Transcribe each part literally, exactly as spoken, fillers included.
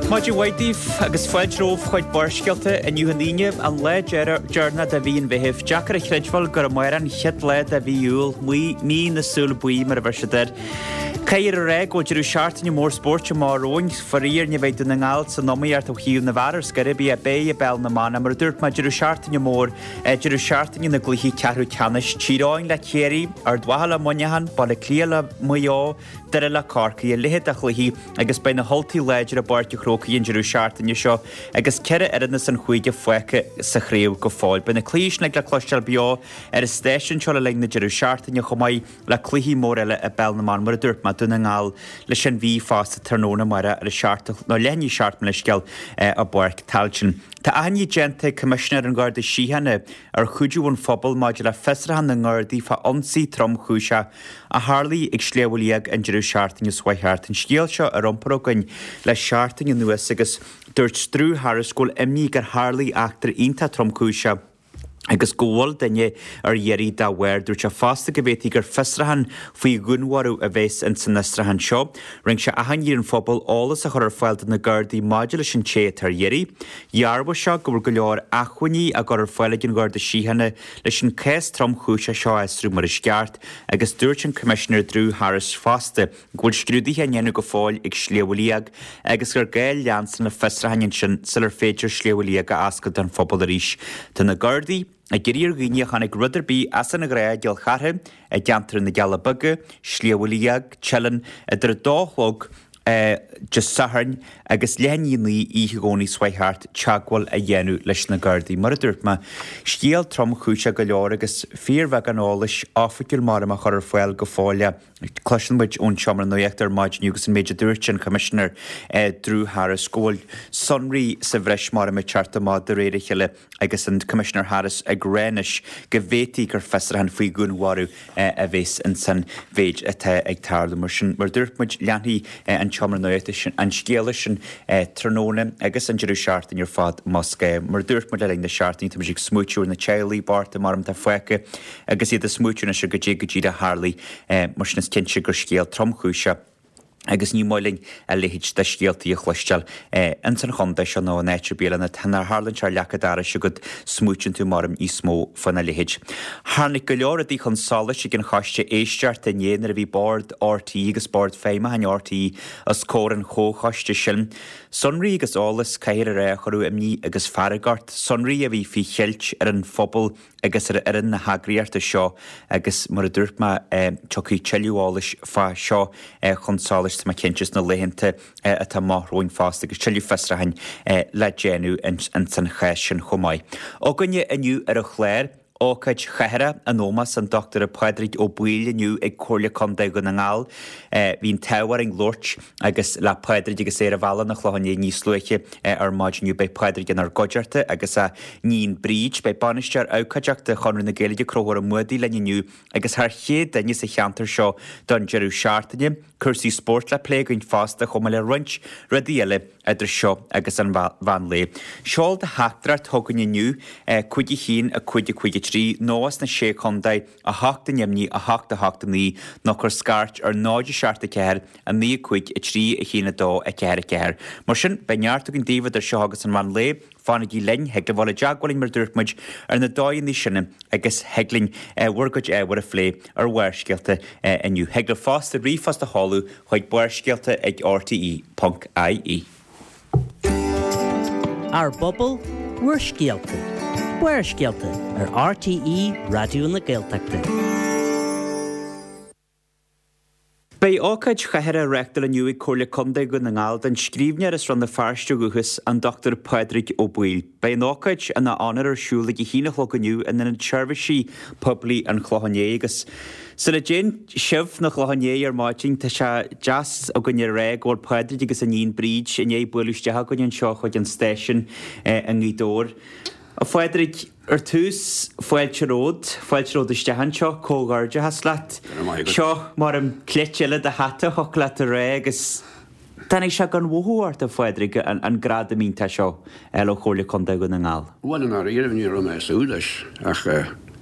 Maidin mhaith daoibh agus fáilte romhaibh chuig Barrscéalta inniu an Aoine, an lá deireanach de mhí an Mheithimh. Deacair a chreidbheáil gur amárach an chéad lá de mhí Iúil, mí na súl buí mar a bheir siad air. Caithfear a rá go bhfuil deireadh seachtaine mór spóirt amach romhainn. Faraor ní bheidh Dún na nGall san iomaíocht ó thaobh na bhfear ar scor ar bith beidh i bPeil na mBan mar a dúirt mé deireadh seachtaine mór deireadh seachtaine na gcluichí ceathrú ceannais. Tír Eoghain le Ciarraí, Ard Mhacha le Muineachán, Baile Átha Cliath le Maigh Eo, Doire le Corcaigh, a leithéid de chluichí agus beidh na hUltaigh láidir i bPáirc an Chrócaigh an deireadh seachtaine seo agus ceithre fhoireann as an chúige fágtha sa chraobh go fóill. Beidh na cluichí sin le cloisteáil beo ar an stáisiún seo le linn na deireadh seachtaine chomh maith le cluichí mór eile i bPeil na mBan mar a dúirt mé Dún na nGall leis an Mhí fosta tráthnóna amárach ar a seacht nó leath i ndiaidh a seacht mo leithscéal i bPáirc Tailteann. Tá achainí déanta ag Coimisinéir an Gharda Síochána ar chuidiú an phobail maidir le fiosrúchán na nGardaí fá ionsaí tromchúiseach a tharlaigh ag Sliabh Liag an deireadh seachtaine seo thart. An scéal seo ar iompar againn le seachtain anuas agus dúirt Drew Harris go bhfuil imní gur tharlaigh eachtra iontach tromchúiseach agus go bhfuil duine ar iarraidh dá bharr. Dúirt sé fosta go bhféadfaí gur fiosrúchán faoi dhúnmharú a bheas in san fhiosrúchán seo. Rinne sé achainí ar an phobal eolas a chur ar fáil do na Gardaí maidir leis an té atá ar iarraidh. Dhearbhaigh sé go bhfuil go leor acmhainní á gcur ar fáil ag an Gharda Síochána leis an cás tromchúiseach seo a fhiosrú mar is ceart, agus dúirt an Coimisinéir Drew Harris fosta go bhfuil scrúduithe á ndéanamh go fóill ag Sliabh Liag agus gur gá leanstan le fiosrúcháin ansin sular féidir Sliabh Liag a oscailt don phobal arís. Tá na Gardaí ag iarraidh ar dhaoine a chonaic rud ar bith as an ghnáth i gCill Chartha, i gceantar na gCealla Beaga, Sliabh Liag, Teileann, idir a dó a chlog Dé Sathairn agus leath i ndiaidh a naoi oíche Dhomhnaigh seo thart teagmháil a dhéanamh leis na Gardaí. Mar a dúirt mé, scéal tromchúiseach go leor agus fíorbheagán eolais oifigiúil mar a chur ar fáil go fóill. Cloiseann muid ón seomra nuachta ar maidin inniu agus an méid a dúirt an Coimisinéir Drew Harris go bhfuil sonraí sa bhreis mar a teacht amach de réir a chéile agus an Coimisinéir Harris ag rá anois go bhféadfaí gur fiosrúchán faoi dhúnmharú a bheas insan mhéid atá ag tarlú. Mar sin, mar dúirt muid, leanfaidh an tseomra nuachta sin an scéala sin tráthnóna agus an deireadh seachtaine ar fad más gá. Mar dúirt muid le linn na seachtaine, tá muid ag smaoitiú ar na teaghlaigh bochta mar atá fágtha agus iad ag smaoitiú anois ar goidé go díreach a tharlaigh. Mar sin is cinnte gur scéal tromchúiseach agus ní maith linn a leithéid de scéaltaí a chloisteáil ins an chontae seo nó in áit ar bith eile. Nuair a tharlaíonn sé ar leac an dorais agat, smaoitíonn tú mar níos mó faoina leithéid. Tháinig go leor rudaí chun solais ag an choiste éisteachta inné nuair a bhí Bord RTÉ agus Bord Feidhmiúcháin RTÉ os comhair an chomhchoiste sin. Sonraí agus eolas, caithfear a rá, a chuireadh imní agus fearg ort, sonraí a bhí faoi cheilt ar an phobal agus ar fhoireann na heagraíochta seo agus mar a dúirt mé tiocfaidh tuilleadh eolais fá seo chun solais tá mé cinnte sna laethanta atá amach romhainn fosta agus tuilleadh fiosrúcháin le déanamh ins an chás sin chomh maith. Againne inniu ar an chlár, ócáid chathartha in ómós an Dochtúra Pádraig Ó Baoill inniu ag Comhairle Contae Dhún na nGall. Bhí an t-ádh orainn labhairt agus le Pádraig agus é ar a bhealach 'na Chlocháin Léith níos luaithe ar maidin inniu. Beidh Pádraig inár gcuideachta agus a níon Bríd. Beidh Bainisteoir Abhcóideachta Chonradh na Gaeilge Conchúr Ó Muadaigh linn inniu agus thar chéad duine sa cheantar seo don deireadh seachtaine. Cúrsaí spóirt le plé againn fosta chomh maith le roinnt rudaí eile idir seo agus an mheán lae. Seol do theachtaireacht chugainn inniu, cúig a haon, a cúig a cúig a trí, nó as na Sé Chontae, a hocht a neamhní, a hocht a hocht a naoi, nó cuir scairt ar náid a seacht a ceathair, a naoi a cúig, a trí, a haon a dó, a ceathair a ceathair. Mar sin, beidh neart againn daoibh idir seo agus an mheán lae. Fanaigí linn, thig libh dul i dteagmháil linn mar a dúirt muid ar na dóigheanna sin agus thig linn bhur gcuid ábhair a phlé ar Bharrscéalta inniu. Thig libh fosta ríomhphost a sheoladh chuig barrscéalta ag rte ponc ie. Ár bpobal, bhur scéalta. Barrscéalta ar RTÉ Raidió na Gaeltachta. Beidh ócáid chathartha á reáchtáil inniu ag Comhairle Contae Dhún na nGall don scríbhneoir as Rann na Feirste ó dhúchas, an Dochtúir Pádraig Ó Baoill. Beidh an ócáid ina onóir ar siúl ag a haon a chlog inniu in Ionad Seirbhísí Poiblí an Chlocháin Léith agus sula dtéann sibh 'na Chlocháin Léith ar maidin tá sé deas againn a rá go bhfuil Pádraig agus a níon Bríd i ndiaidh bualadh isteach againn anseo chuig an stáisiún i nGaoth Dobhair. A Phádraig, ar tús, fáilte romhat, fáilte romhat isteach anseo, comhghairdeachas leat. Go raibh maith agat. Seo mar an cleite eile de hata a thiocfadh leat a rá agus tháinig sé gan mhothú ort, a Phádraig, an gradam iontach seo a fháil ó Chomhairle Contae Dhún na nGall. Bhuel, i ndáiríre, ní raibh mé ag súil leis ach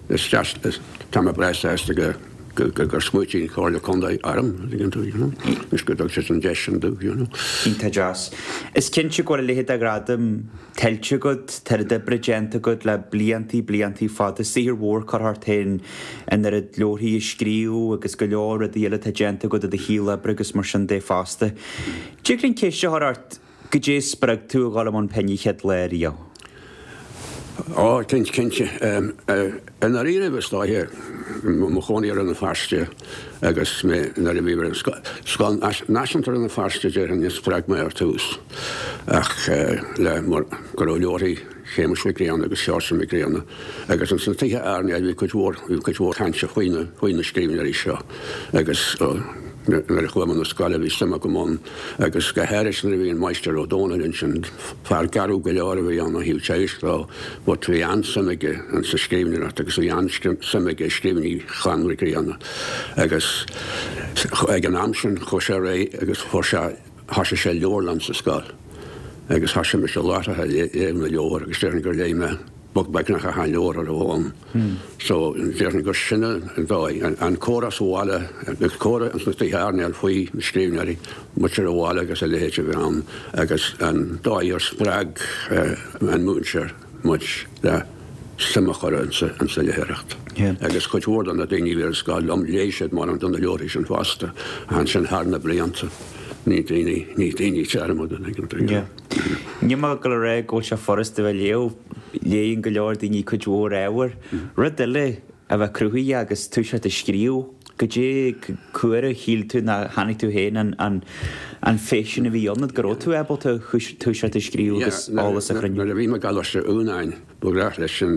is deas, tá mé breá sásta go gur smaointigh an Chomhairle Contae orm, tuigeann tú, you know. Is go dtug siad an deis sin domh, you know. Iontach deas. Is cinnte go bhfuil a leithéid de ghradam tuillte agat, tá oiread oibre déanta agat le bliantaí, bliantaí fada, saothar mhór curtha ort féin an oiread leabharthaí a scríobh agus go leor rudaí eile atá déanta agat i do shaol oibre agus mar sin de fosta. Tig linn ceist a chur ort, goidé a spreag tú a dhul i mbun pinn an chéad lá riamh? Ó, cinnte, cinnte. I ndáiríre is dóiche, mo chónaí i Rann na Feirste agus mé nuair a bhí ar an Scoil Náisiúnta Rann na Feirste déarfainn a spreag mé ar tús ach le mar go raibh leabharthaí Shéamuis Mhic Grianna agus Sheosaimh Mhic Grianna agus ins na tithe airneáil bhí cuid mhór bhí cuid mhór cainte faoi na faoi na scríbhneoirí seo agus nuair a chuaigh mé na scoile bhí suim agam ann agus go háirithe nuair a bhí an Máistir Ó Dónaill ansin, fear garbh go leor a bhí ann ó thaobh teagaisc dó, but bhí an-suim aige sa scríbhneoireacht agus bhí an-suim aige i scríbhinní Chlann Mhic Grianna agus ag an am sin chuaigh sé ar aghaidh agus fuair sé, thosaigh sé leabharlann sa scoil agus thosaigh mise láithreach ag léamh na leabhar agus déarfainn gur léigh mé beagnach achan leabhar a raibh ann. So, déarfainn gur sin an dóigh. An comhrá sa bhaile, agus comhrá ins na tithe airneáil faoi na scríbhneoirí, muintir an bhaile agus a leithéid a bhí ann, agus an dóigh ar spreag an múinteoir muid le suim a chur insa léitheoireacht. Agus cuid mhór de na daoine a bhí ar an scoil liom, léigh siad mórán de na leabharthaí sin fosta, ansin thar na blianta. Ní daoine, ní daoine dearmad an tuigeann tú. Níl mé ag dul a rá go bhfuil sé furasta a bheith ag léamh, léann go leor daoine cuid mhór ábhair. Rud eile a bheith cruthaithe agus toiseacht ag scríobh, goidé cá huair a shíl tú nó chonaic tú féin an an an phaisean a bhí ionat, go raibh tú ábalta toiseacht ag scríobh agus eolas a chruinniú? Nuair a bhí mé i gColáiste Eunáin, ba ghnách leis an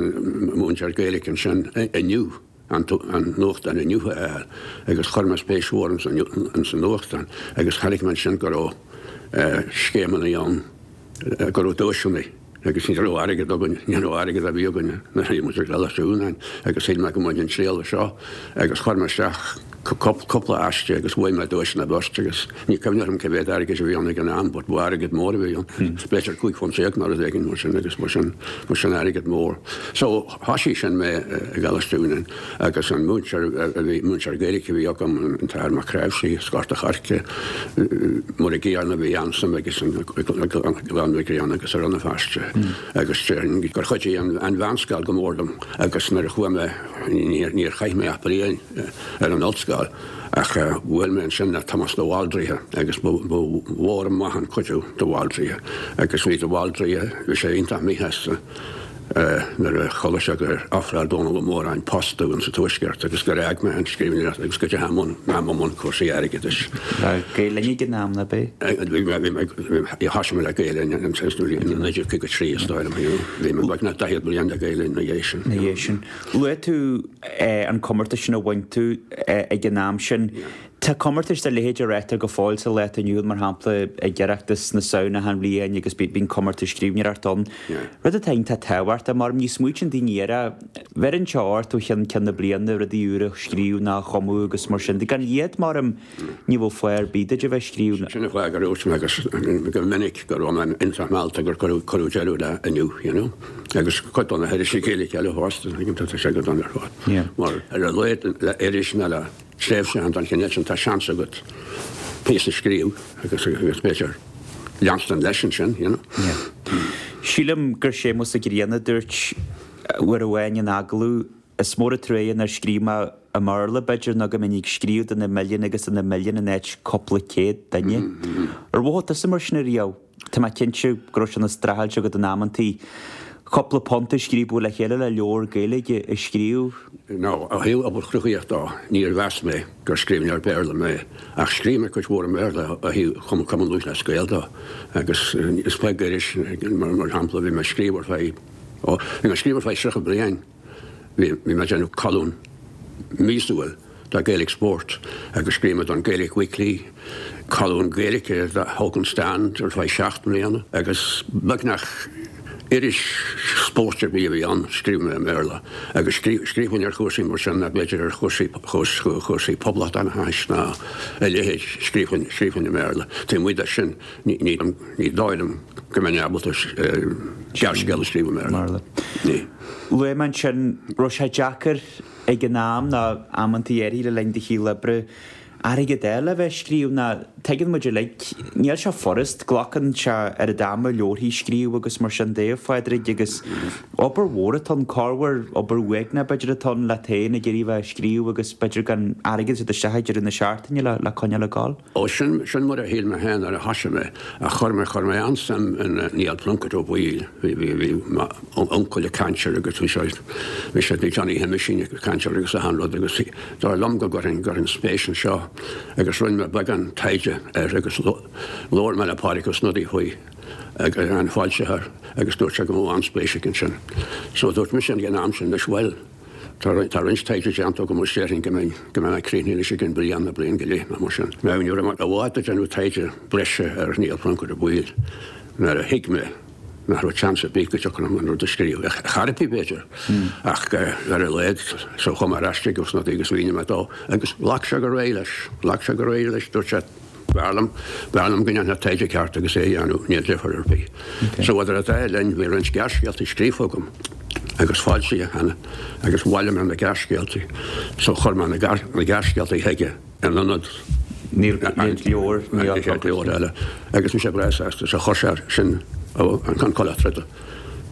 múinteoir Gaeilge ansin Inniu, an nuachtán Inniu a fháil agus chuir mé spéis mhór ins an nuachtán agus chonaic mé ansin go raibh scéimeanna ann, go raibh duaiseanna agus ní raibh airgead againn, ní raibh airgead ar bith againn nuair a bhí muid i gColáiste Eunáin agus shíl mé go mbainfinn triail as seo agus chuir mé isteach cúpla aiste agus bhuaigh mé duaiseanna beirt agus ní cuimhin liom cé mhéad airgid a bhí ann ag an am but ba airgead mór a bhí ann, b'fhéidir cúig phunt déag nó rud éigin mar sin agus ba sin, ba sin airgead mór. So thosaigh sin mé i gColáiste Eunáin agus an múinteoir a bhí, múinteoir Gaeilge a bhí agam, an tAthair Mac Cnáimhsí as Gort a' Choirce, mar an gcéanna bhí an-suim aige i gClann Mhic Grianna agus i Rann na Feirste agus déarfainn gur chuidigh an mheánscoil go mór liom agus nuair a chuaigh mé, níor chaith mé ach bliain ar an ollscoil ach bhuail mé ansin le Tomás de Bhaldraithe agus ba mhór maith an cuidiú de Bhaldraithe agus bhí de Bhaldraithe, bhí sé iontach míshásta. Nuair a chuala sé gur ofráil Dónall Ó Móráin post domh sa Tuaisceart agus gur fhág mé an scríbhneoireacht agus go dteachaigh mé i mbun cúrsaí airgeadais. Le Gael Linn ag an am, ab ea? Bhí mé, thosaigh mé le Gael Linn in naoi déag caoga a trí is dóigh liom. Bhí mé beagnach daichead bliain le Gael Linn ina dhiaidh sin. Ina dhiaidh sin. Luaigh tú an comórtas sin a bhain tú ag an am sin. Tá comórtais dá leithéid á reáchtáil go fóill sa lá atá inniu ann, mar shampla ag Oireachtas na Samhna achan bhliain agus bíonn comórtais scríbhneoireachta ann. Rud atá iontach tábhachtach, mar ní smaoitíonn daoine air, bheireann sé ort ó cheann ceann na bliana rudaí úra a scríobh nó a chumadh agus mar sin de. Gan iad, maram, ní bheadh fáth ar bith duit a bheith ag scríobh. Sin an fáth gur dhúirt mé agus go minic go raibh mé iontach meallta gur cuireadh deireadh le Inniu, you know. Agus cuid de na hirisí Gaeilge eile fosta, tá sé go dona ar fad. Mar ar a laghad le iris nó le tréimhseachán den chineál sin, tá seans agat píosa a scríobh agus agus b'fhéidir leanstan leis ansin, you know. Yeah. Sílim gur Séamus Ó Grianna a dúirt uair amháin in agallamh, is mór an truaighe nár scríobh mé i mBéarla, b'fhéidir, nó go mbeinn ag scríobh do na milliúin agus do na milliúin in áit cúpla céad duine. Ar mhothaigh tusa mar sin ariamh? Tá mé cinnte go raibh sé ina streachailt agat in amantaí cúpla punt a scríobadh le chéile le leabhar Gaeilge a scríobh. No, ó thaobh obair chruthaíoch dó, níor mheas mé gur scríbhneoir Béarla mé, ach scríobh mé cuid mhór i mBéarla ó thaobh Chumann Lúthchleas Gael dó, agus is beag iris, mar shampla, bhí mé ag scríobh ar feadh, ó, bhí mé ag scríobh ar feadh tríocha bliain. Bhí mé ag déanamh colún míosúil do Gaelic Sport agus scríobh mé don Gaelic Weekly, colún Gaeilge do Oakland Stand ar feadh seacht mbliana agus beagnach iris spóirt ar bith a bhí ann, scríobh mé i mBéarla agus scríobhainn ar chúrsaí mar sin, nó b'fhéidir ar chúrsaí chúrsaí poblachtánachais nó a leithéid, scríobhainn scríobhainn i mBéarla. Taobh amuigh de sin ní ní dóigh liom go mbeinn ábalta gearrscéal a scríobh i mBéarla. Ní. Luaigh mé ansin, raibh sé deacair ag an am nó amantaí áirithe le linn do shaol oibre airgead eile a bheith ag scríobh ná tuigeann muid uilig, níl sé furast, glacann sé oiread ama leabharthaí a scríobh agus mar sin de, a Phádraig, agus obair mhór atá ann, corruair obair uaigneach b'fhéidir atá ann leat féin ag iarraidh bheith ag scríobh agus b'fhéidir gan airgead ag teacht isteach ag deireadh na seachtaine le le coinneáil ag gabháil. Ó sin, sin mar a shíl mé féin nuair a thosaigh mé, ach chuir mé, chuir mé an-suim in Niall Pluincéid Ó Baoill, bhí, bhí, bhí m'uncail ag caint air agus bhí sé, bhí sé, bhí Johnny Sheamuisín ag caint air agus achan rud agus dar liom go gcuirfinn, gcuirfinn spéis anseo agus rinne mé beagán taighde air agus labhair mé le Pádraig Ó Snodaigh faoi agus an foilsitheoir agus dúirt sé go mbeadh an-spéis aige ansin. So dúirt mise ag an am sin leis bhuel, tá tá roinnt taighde déanta agam agus déarfainn go mbeinn go mbeinn críochnaithe leis i gcionn bliain nó bliain go leith nó mar sin. Now ní raibh mé i bhfad ag déanamh taighde breise ar Niall Pluincéid Ó Baoill nuair a thuig mé nach raibh seans ar bith go dtiocfadh liom an rud a scríobh. Ar chor ar bith, b'fhéidir, ach ar a laghad, so chuaigh mé ar ais chuig Ó Snodaigh agus mhínigh mé dó agus ghlac sé go réidh leis, ghlac sé go réidh leis, dúirt sé, b'fhearr liom, b'fhearr liom go ndéanfá taighde ceart agus é a dhéanamh, níl difear ar bith. So idir an dá linn bhí roinnt gearrscéaltaí scríofa agam agus foilsithe cheana agus bhailigh mé na gearrscéaltaí, so chuir mé na gearrscéaltaí chuige in ionad Níl leabhar, níl leabhar eile. Agus bhí sé breá sásta, so chuir sé sin an Coileach Troda.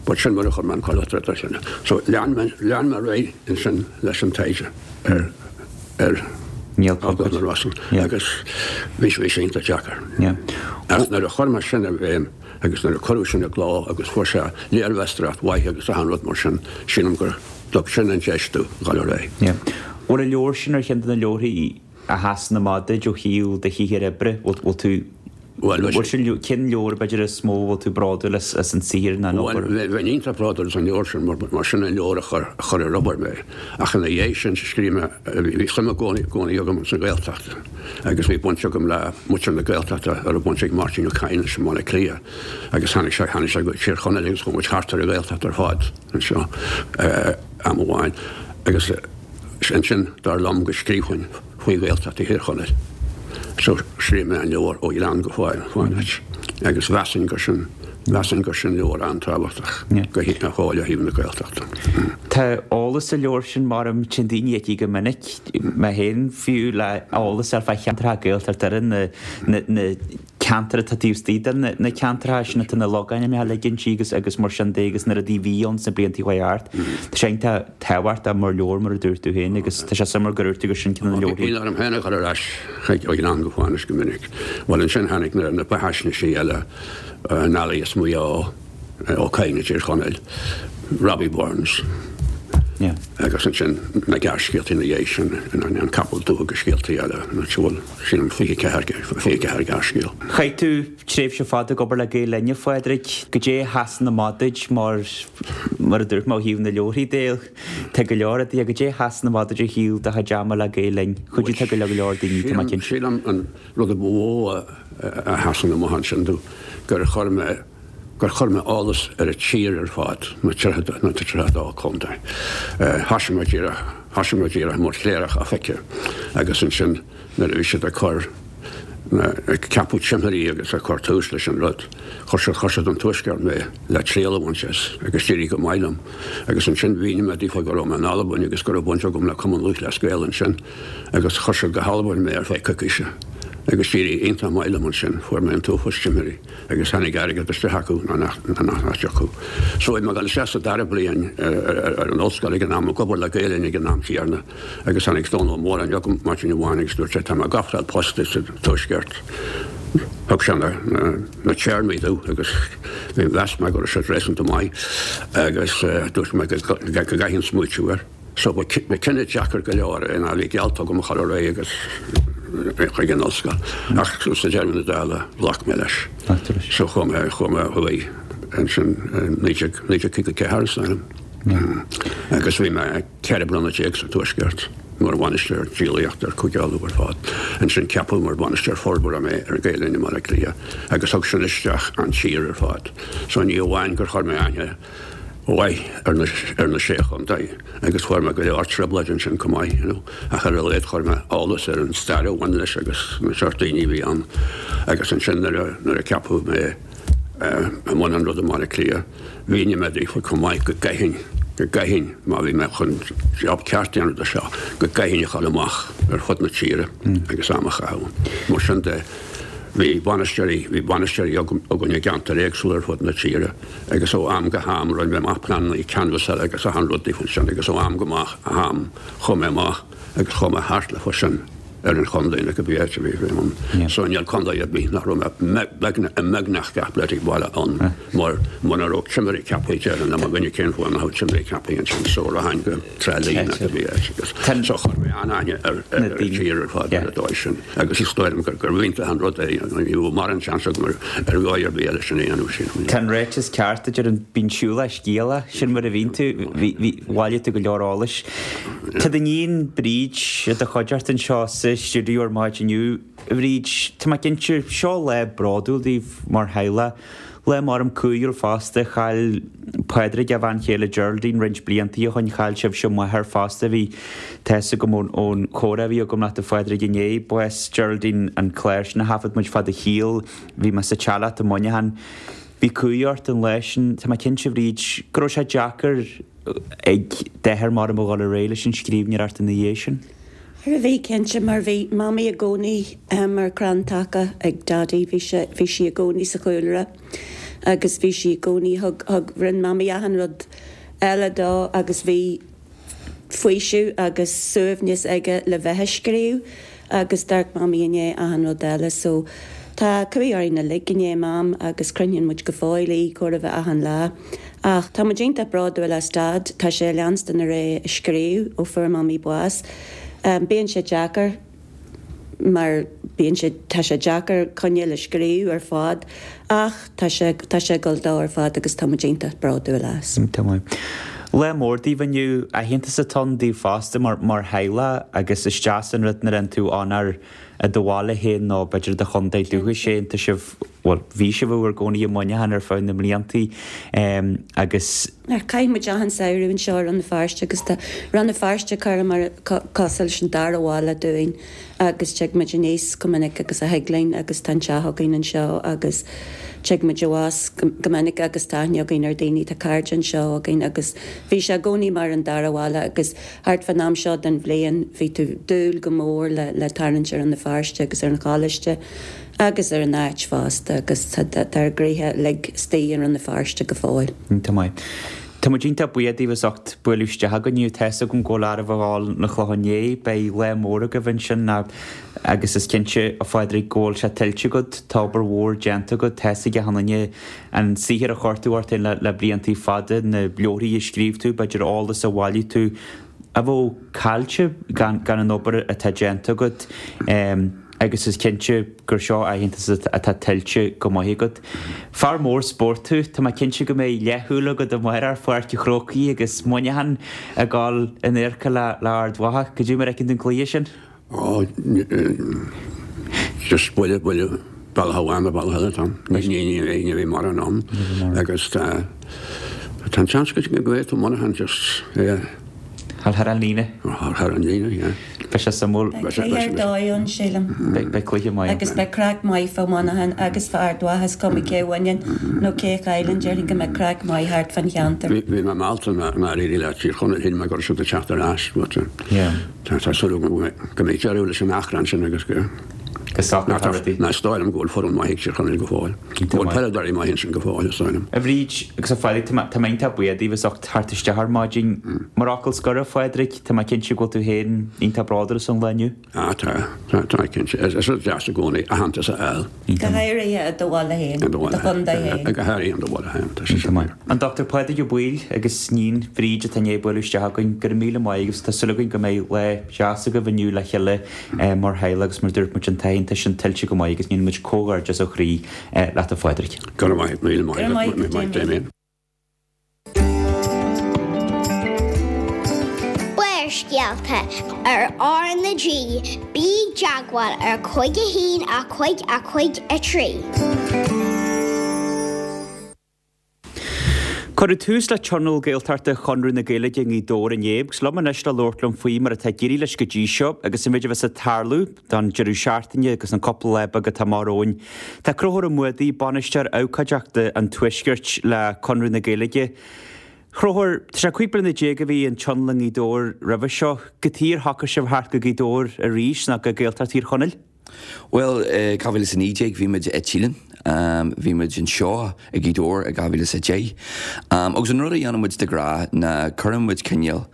But sin mar a chuir mé an Coileach Troda sin. So lean mé lean mé ar aghaidh ansin leis an taighde ar ar Níl Cogadh na Rosann agus bhí bhí sé iontach deacair. Ach nuair a chuir mé sin i bhfeidhm agus nuair a cuireadh sin i gcló agus fuair sé léirmheastóireacht mhaith agus achan rud mar sin, sílim gur thug sin an deis domh dhul ar aghaidh. Bhfuil an leabhar sin ar cheann de na leabharthaí a sheasann amach duit ó thaobh do shaothair oibre? Bhfuil tú, bhfuil sin, cén leabhar b'fhéidir is mó a bhfuil tú bródúil as, as an saothar ná an obair? Bhuel, bheinn iontach bródúil as an leabhar sin mar, mar sin an leabhar a chuir, a chuir ar obair mé. Ach ina dhiaidh sin, scríobh mé, bhí suim i gcónaí, gcónaí agam sa Ghaeltacht agus bhí baint agam le muintir na Gaeltachta a raibh baint ag Máirtín Ó Cadhain leis i mBaile Átha Cliath agus tháinig sé, tháinig sé go Tír Chonaill agus chuaigh muid thart ar an Ghaeltacht ar fad anseo am amháin agus ansin dar liom go scríobhfainn faoi Ghaeltacht Thír Chonaill. So scríobh mé an leabhar Ó Ghleann go Fánaid agus mheasfainn gur sin, mheasfainn gur sin leabhar an-tábhachtach go fóill ó thaobh na Gaeltachta. Tá eolas sa leabhar sin mar a téann daoine aici go minic, mé féin fiú, le eolas a fháil fá cheantracha Gaeltachta ar na, na, na ceantair atá taobh istigh de na ceantracha sin atá na logainmneacha uilig inti agus agus mar sin de agus na rudaí a bhí ann sna blianta a chuaigh thart. Tá sé iontach tábhachtach mar leabhar mar a dúirt tú féin agus tá sé suimiúil gur dhúirt tú gur sin ceann de na leabharthaí. Bíonn orm féin a dhul ar ais chuig Ó Ghleann go Fánaid go minic. Bhuel ansin tháinig na na beathaisnéisí eile, Nally as Maigh Eo, Ó Cadhain i dTír Chonaill, Robbie Burns. Agus ansin na gearrscéalta ina dhiaidh sin, An Capall Dubh agus scéaltaí eile, an bhfuil, sílim, fiche ceathair, fiche ceathair gearrscéal. Chaith tú tréimhse fada ag obair le Gael Linn, a Phádraig. Goidé a sheasann amach duit mar, mar a dúirt mé ó thaobh na leabharthaí de, tá go leor rudaí, goidé a sheasann amach duit ó thaobh do chuid ama le Gael Linn? Chuidigh tú go leor leor daoine, tá mé cinnte. Sílim an rud a ba mhó a sheasann amach ansin domh gur chuir mé, gur chuir mé eolas ar an tír ar fad, na tríocha a dó contae. Thosaigh mé díreach, thosaigh mé díreach mar chléireach oifige agus ansin nuair a bhí siad ag cur, ag ceapadh timirí agus ag cur tús leis an rud, chuir siad, chuir siad an Tuaisceart mé le triail a bhaint as agus d'éirigh go maith liom. Agus ansin mhínigh mé daofa go raibh mé in Albain agus go raibh baint agam le Cumann Lúthchleas Gael ansin agus chuir siad go hAlbain mé ar feadh coicíse agus d'éirigh iontach maith liom ansin, fuair mé an t-uafás timirí. agus tháinig airgead isteach acu ná nach dtiocfadh. So bhí mé ag dul isteach sa dara bliain ar an ollscoil ag an am, ag obair le Gael Linn ag an am céanna agus tháinig Dónal Ó Móráin chugam maidin amháin agus dúirt sé tá mé ag ofráil post duit sa Tuaisceart. Thug sé na na téarmaí domh agus mheas mé go raibh siad réasúnta maith agus dúirt mé go gcaithfinn smaoitiú air. So ba cinneadh deacair go leor é ná bhí geallta agam a chur ar aghaidh agus chuig an ollscoil ach sa deireadh na dála ghlac mé leis. So chuaigh mé chuaigh mé ó thuaidh ansin naoi déag naoi déag caoga ceathair is dóigh liom. Agus bhí mé ceithre bliana déag sa Tuaisceart mar bhainisteoir díolaíochta ar Chúige Uladh ar fad. Ansin ceapadh mar bhainisteoir forbartha mé ar Gael Linn i mBaile Átha Cliath agus thug sin isteach an tír ar fad. So ní amháin gur chuir mé aithne mhaith ar na ar na sé chontae agus fuair mé go leor trioblóid ansin chomh maith, you know, ach ar a laghad chuir mé eolas ar an stair a bhain leis agus na seort daoine a bhí ann agus ansin nuair a nuair a ceapadh mé i mbun an ruda i mBaile Átha Cliath mhínigh mé daofa chomh maith go gcaithfinn go gcaithfinn, má bhí mé chun job ceart a dhéanamh de seo, go gcaithfinn a dhul amach ar fud na tíre agus am a chaitheamh. Mar sin de, bhí bainisteoirí, bhí bainisteoirí againn i gceantair éagsúla ar fud na tíre agus ó am go ham rinne mé amach pleananna canbhasála agus achan rud daofa sin agus ó am go ham chuaigh mé amach agus chuaigh mé thart leofa sin ar an chontae nó cibé áit a bhí mé ann. So níl contae ar bith nach raibh mé i mbeagnach gach bloody baile ann mar muna raibh timirí ceaptha déarfainn le mo dhuine cén fáth nach raibh timirí ceaptha ansin so rachainn go Trá Lí nó cibé áit agus so chuir mé an-aithne ar ar an tír ar fad ar an dóigh sin agus is dóigh liom gur gur iontach an rud é ní raibh mórán seans agam ar ar dhóigh ar bith eile sin a dhéanamh sin. Tá an ráiteas ceart a deireann bíonn siúlach scéalach, sin mar a bhíonn tú, bhí bhí bhailigh tú go leor eolais. Tá d'iníon Bríd i do chuideachta anseo sa stiúideo ar maidin inniu. A Bhríd, tá mé cinnte, seo lá bródúil daoibh mar theaghlach. Lá maram cumhúil fosta, chaill Pádraig a bhean chéile Geraldine roinnt blianta ó shoin, chaill sibhse máthair fosta, bhí tá fhios agam ón ón chomhrá a bhí agam leat a Phádraig inné, bás Geraldine an clár sin a thaifead muid fad a shaoil, bhí mé sa teach leat i Muineachán. Bhí cumhaidh ort an lá sin, tá mé cinnte a Bhríd, go raibh sé deacair ag d'athair maram a dhul ar aghaidh leis an scríbhneoireacht ina dhiaidh sin. Ar bhí cinnte mar bhí Mamaí i gcónaí mar crann taca ag Daidí, bhí sé, bhí sí i gcónaí sa chúlra agus bhí sí i gcónaí, thug, thug, rinne Mamaí achan rud eile dó agus bhí faoiseamh agus suaimhneas aige le bheith ag scríobh agus d'amharc Mamaí i ndiaidh achan rud eile so tá cumhaidh orainn uilig i ndiaidh Mam agus croitheann muid go fóill í chóir a bheith achan lá. Ach tá muid iontach bródúil as Dad, tá sé ag leanstan ar aghaidh ag scríobh ó fuair Mamaí bás. Bíonn sé deacair mar bíonn sé, tá sé deacair coinneáil ag scríobh ar fad ach tá sé, tá sé ag dul dó ar fad agus tá muid iontach bródúil as. Iontach maith. Lá mór daoibh inniu, aitheantas atá ann daoibh fosta mar, mar theaghlach agus is deas an rud nuair a bhíonn tú ann ar i do bhaile féin nó b'fhéidir i do chontae dúchais féin, tá sibh, bhuel, bhí sibh i bhur gcónaí i Muineachán ar feadh na mbliantaí agus. Ar chaith muid achan samhradh anseo i Rann na Feirste agus tá Rann na Feirste curtha mar cosúil leis an dara bhaile dúinn agus tig muid aníos chomh minic agus a thig linn agus tá an teach againn anseo agus tig muid abhus go minic agus tá aithne againn ar daoine, tá cairde anseo againn agus bhí sé i gcónaí mar an dara bhaile agus thart fán am seo den bhliain bhí tú dúil go mór le le tarraingt ar Rann na Feirste agus ar an choláiste agus ar an áit fosta agus tá ár gcroíthe uilig istigh i Rann na Feirste go fóill. Iontach maith. Tá muid iontach buíoch daoibh as ucht bualadh isteach againn inniu. Tá fhios agam go bhfuil oraibh a dhul 'na Clochán Léith. Beidh lá mór agaibh ansin agus is cinnte, a Phádraig, go bhfuil sé tuillte agat. Tá obair mhór déanta agat. Tá fhios ag achan duine an saothar a chuir tú ort féin le le bliantaí fada, na leabharthaí a scríobh tú, b'fhéidir eolas a bhailigh tú a bheadh caillte gan gan an obair atá déanta agat agus is cinnte gur seo aitheantas atá tuillte go maith agat. Fear mór spóirt tú, tá mé cinnte go mbeidh leathshúil agat amárach ar Pháirc an Chrócaigh agus Muineachán ag dul in adharca le le Ard Mhacha. Cad é mar a fheiceann tú an cluiche sin? Ó, just buille, buille, bealach amháin nó bealach eile atá ann. Ní, ní, ní, ní bheidh mórán ann. Agus tá, tá an seans go bhféadfadh Muineachán just, yeah. Thar thar an líne. Thar thar an líne, yeah. Beidh sé suimiúil. Beidh cluiche ar dóigh ann, sílim. Beidh, beidh cluiche maith ann. Agus beidh craic maith fá Mhuineachán agus fá Ard Mhacha, is cuma cé a bhaineann nó cé a chailleann, déarfainn go mbeidh craic maith thart fán cheantar. Bhí, bhí mé meallta nár éirigh le Tír Chonaill, shíl mé go raibh siad ag teacht ar ais, but, Yeah. Tá súil agam go mbeidh deireadh leis an achrann sin agus go. Go socrófar rudaí. Ná is dóigh liom go bhfuil foireann maith ag Tír Chonaill go fóill. Go bhfuil peileadóirí maithe ansin go fóill, is dóigh liom. A Bhríd agus a Phádraig, tá mé tá mé iontach buíoch daoibh as ucht theacht isteach ar maidin. Mar fhocal scoir, a Phádraig, tá mé cinnte go bhfuil tú féin iontach bródúil as an lá inniu. Ah tá, tá, tá cinnte. Is rud deas i gcónaí aitheantas a fháil. Go háirithe i do bhaile féin, i do chontae féin. Go háirithe i do bhaile féin, tá sé sin fíor. An Dochtúir Pádraig Ó Baoill agus iníon Bhríd atá i ndiaidh bualadh isteach againn, go raibh míle maith agaibh. Tá súil againn go mbeidh lá deas agaibh inniu le chéile mar theaghlach agus mar dúirt muid an t-aitheantas sin tuillte go maith agus déanann muid comhghairdeas ó chroí leat a Phádraig. Go raibh míle maith agat, Damien. Barrscéalta ar R na G, bí i dteagmháil ar cúig a haon a cúig a cúig a trí. Cuireadh tús le Tionól Gaeltachta Chonradh na Gaeilge i nGaoth Dobhair inné agus liom anois le labhairt liom faoi mar atá ag éirí leis go dtí seo agus an méid a bheas ag tarlú don deireadh seachtaine agus an cúpla lá beag atá amach romhainn. Tá Conchúr Ó Muadaigh, Bainisteoir Abhcóideachta an Tuaiscirt le Conradh na Gaeilge. Chonchúir, tá sé cúig bliana déag a bhí an Tionól i nGaoth Dobhair roimhe seo. Cad chuige ar shocraigh sibh theacht go Gaoth Dobhair arís nó go Gaeltacht Thír Chonaill? Well, dhá mhíle is a naoi déag bhí muid i Teileann. Bhí muid anseo i Gaoth Dobhair i dhá mhíle is a deich. Agus an rud a dhéanann muid de ghnáth ná cuireann muid cineál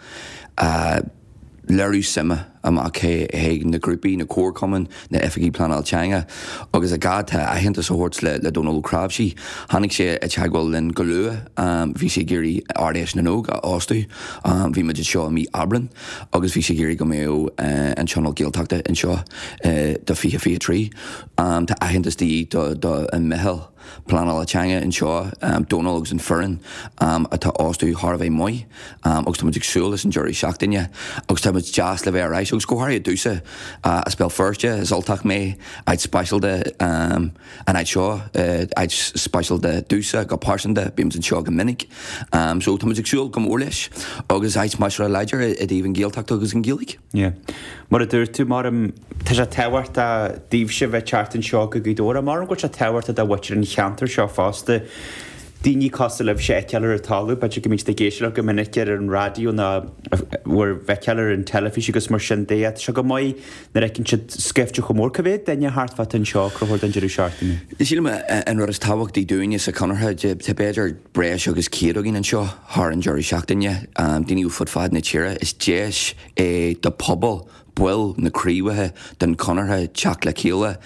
léiriú suime amach chuig na grúpaí, na comharchumainn, na oifigigh pleanáil teanga agus an gá atá aitheantas a thabhairt le Dónal Ó Cnáimhsí. Tháinig sé i dteagmháil linn go luath. Bhí sé ag iarraidh Ard-Fheis na nÓg a óstú. Bhí muid anseo i mí Aibreán agus bhí sé ag iarraidh go mbeadh an Tionól Gaeltachta anseo do fiche fiche trí. Tá aitheantas de dhíth do an meitheal pleanála teanga anseo, Dónal agus an foireann atá óstú thar a bheith maith agus tá muid ag súil leis an deireadh seachtaine agus tá muid deas le bheith ar ais agus go háirithe domhsa as Béal Feirste, is Ultach mé, áit speisialta an áit seo, áit speisialta domhsa go pearsanta, bímid anseo go minic so tá muid ag súil go mór leis agus áit measartha láidir i dtaobh an Ghaeltacht agus an Ghaeilge. Yeah. Mar a dúirt tú, mar tá sé tábhachtach daoibhse bheith teacht anseo go Gaoth Dobhair, mar go bhfuil sé tábhachtach do mhuintir an cheantair seo fosta. Daoine cosúil libhse a fheiceáil ar an talamh, b'fhéidir go mbíonn siad ag éisteacht go minic ar an raidió nó bhur bhfeiceáil ar an teilifís agus mar sin de. Tá sé go maith nuair a fheiceann siad scaifte chomh mór. Cá mhéad duine thart fát anseo, Conchúr, don deireadh seachtaine? Sílim an rud is tábhachtaí dúinne sa Chonartha, tá b'fhéidir breis agus céad againn anseo thar an deireadh seachtaine, daoine ó fud fad na tíre. Is deis é do pobal baill na craobhacha den Chonartha teacht le chéile.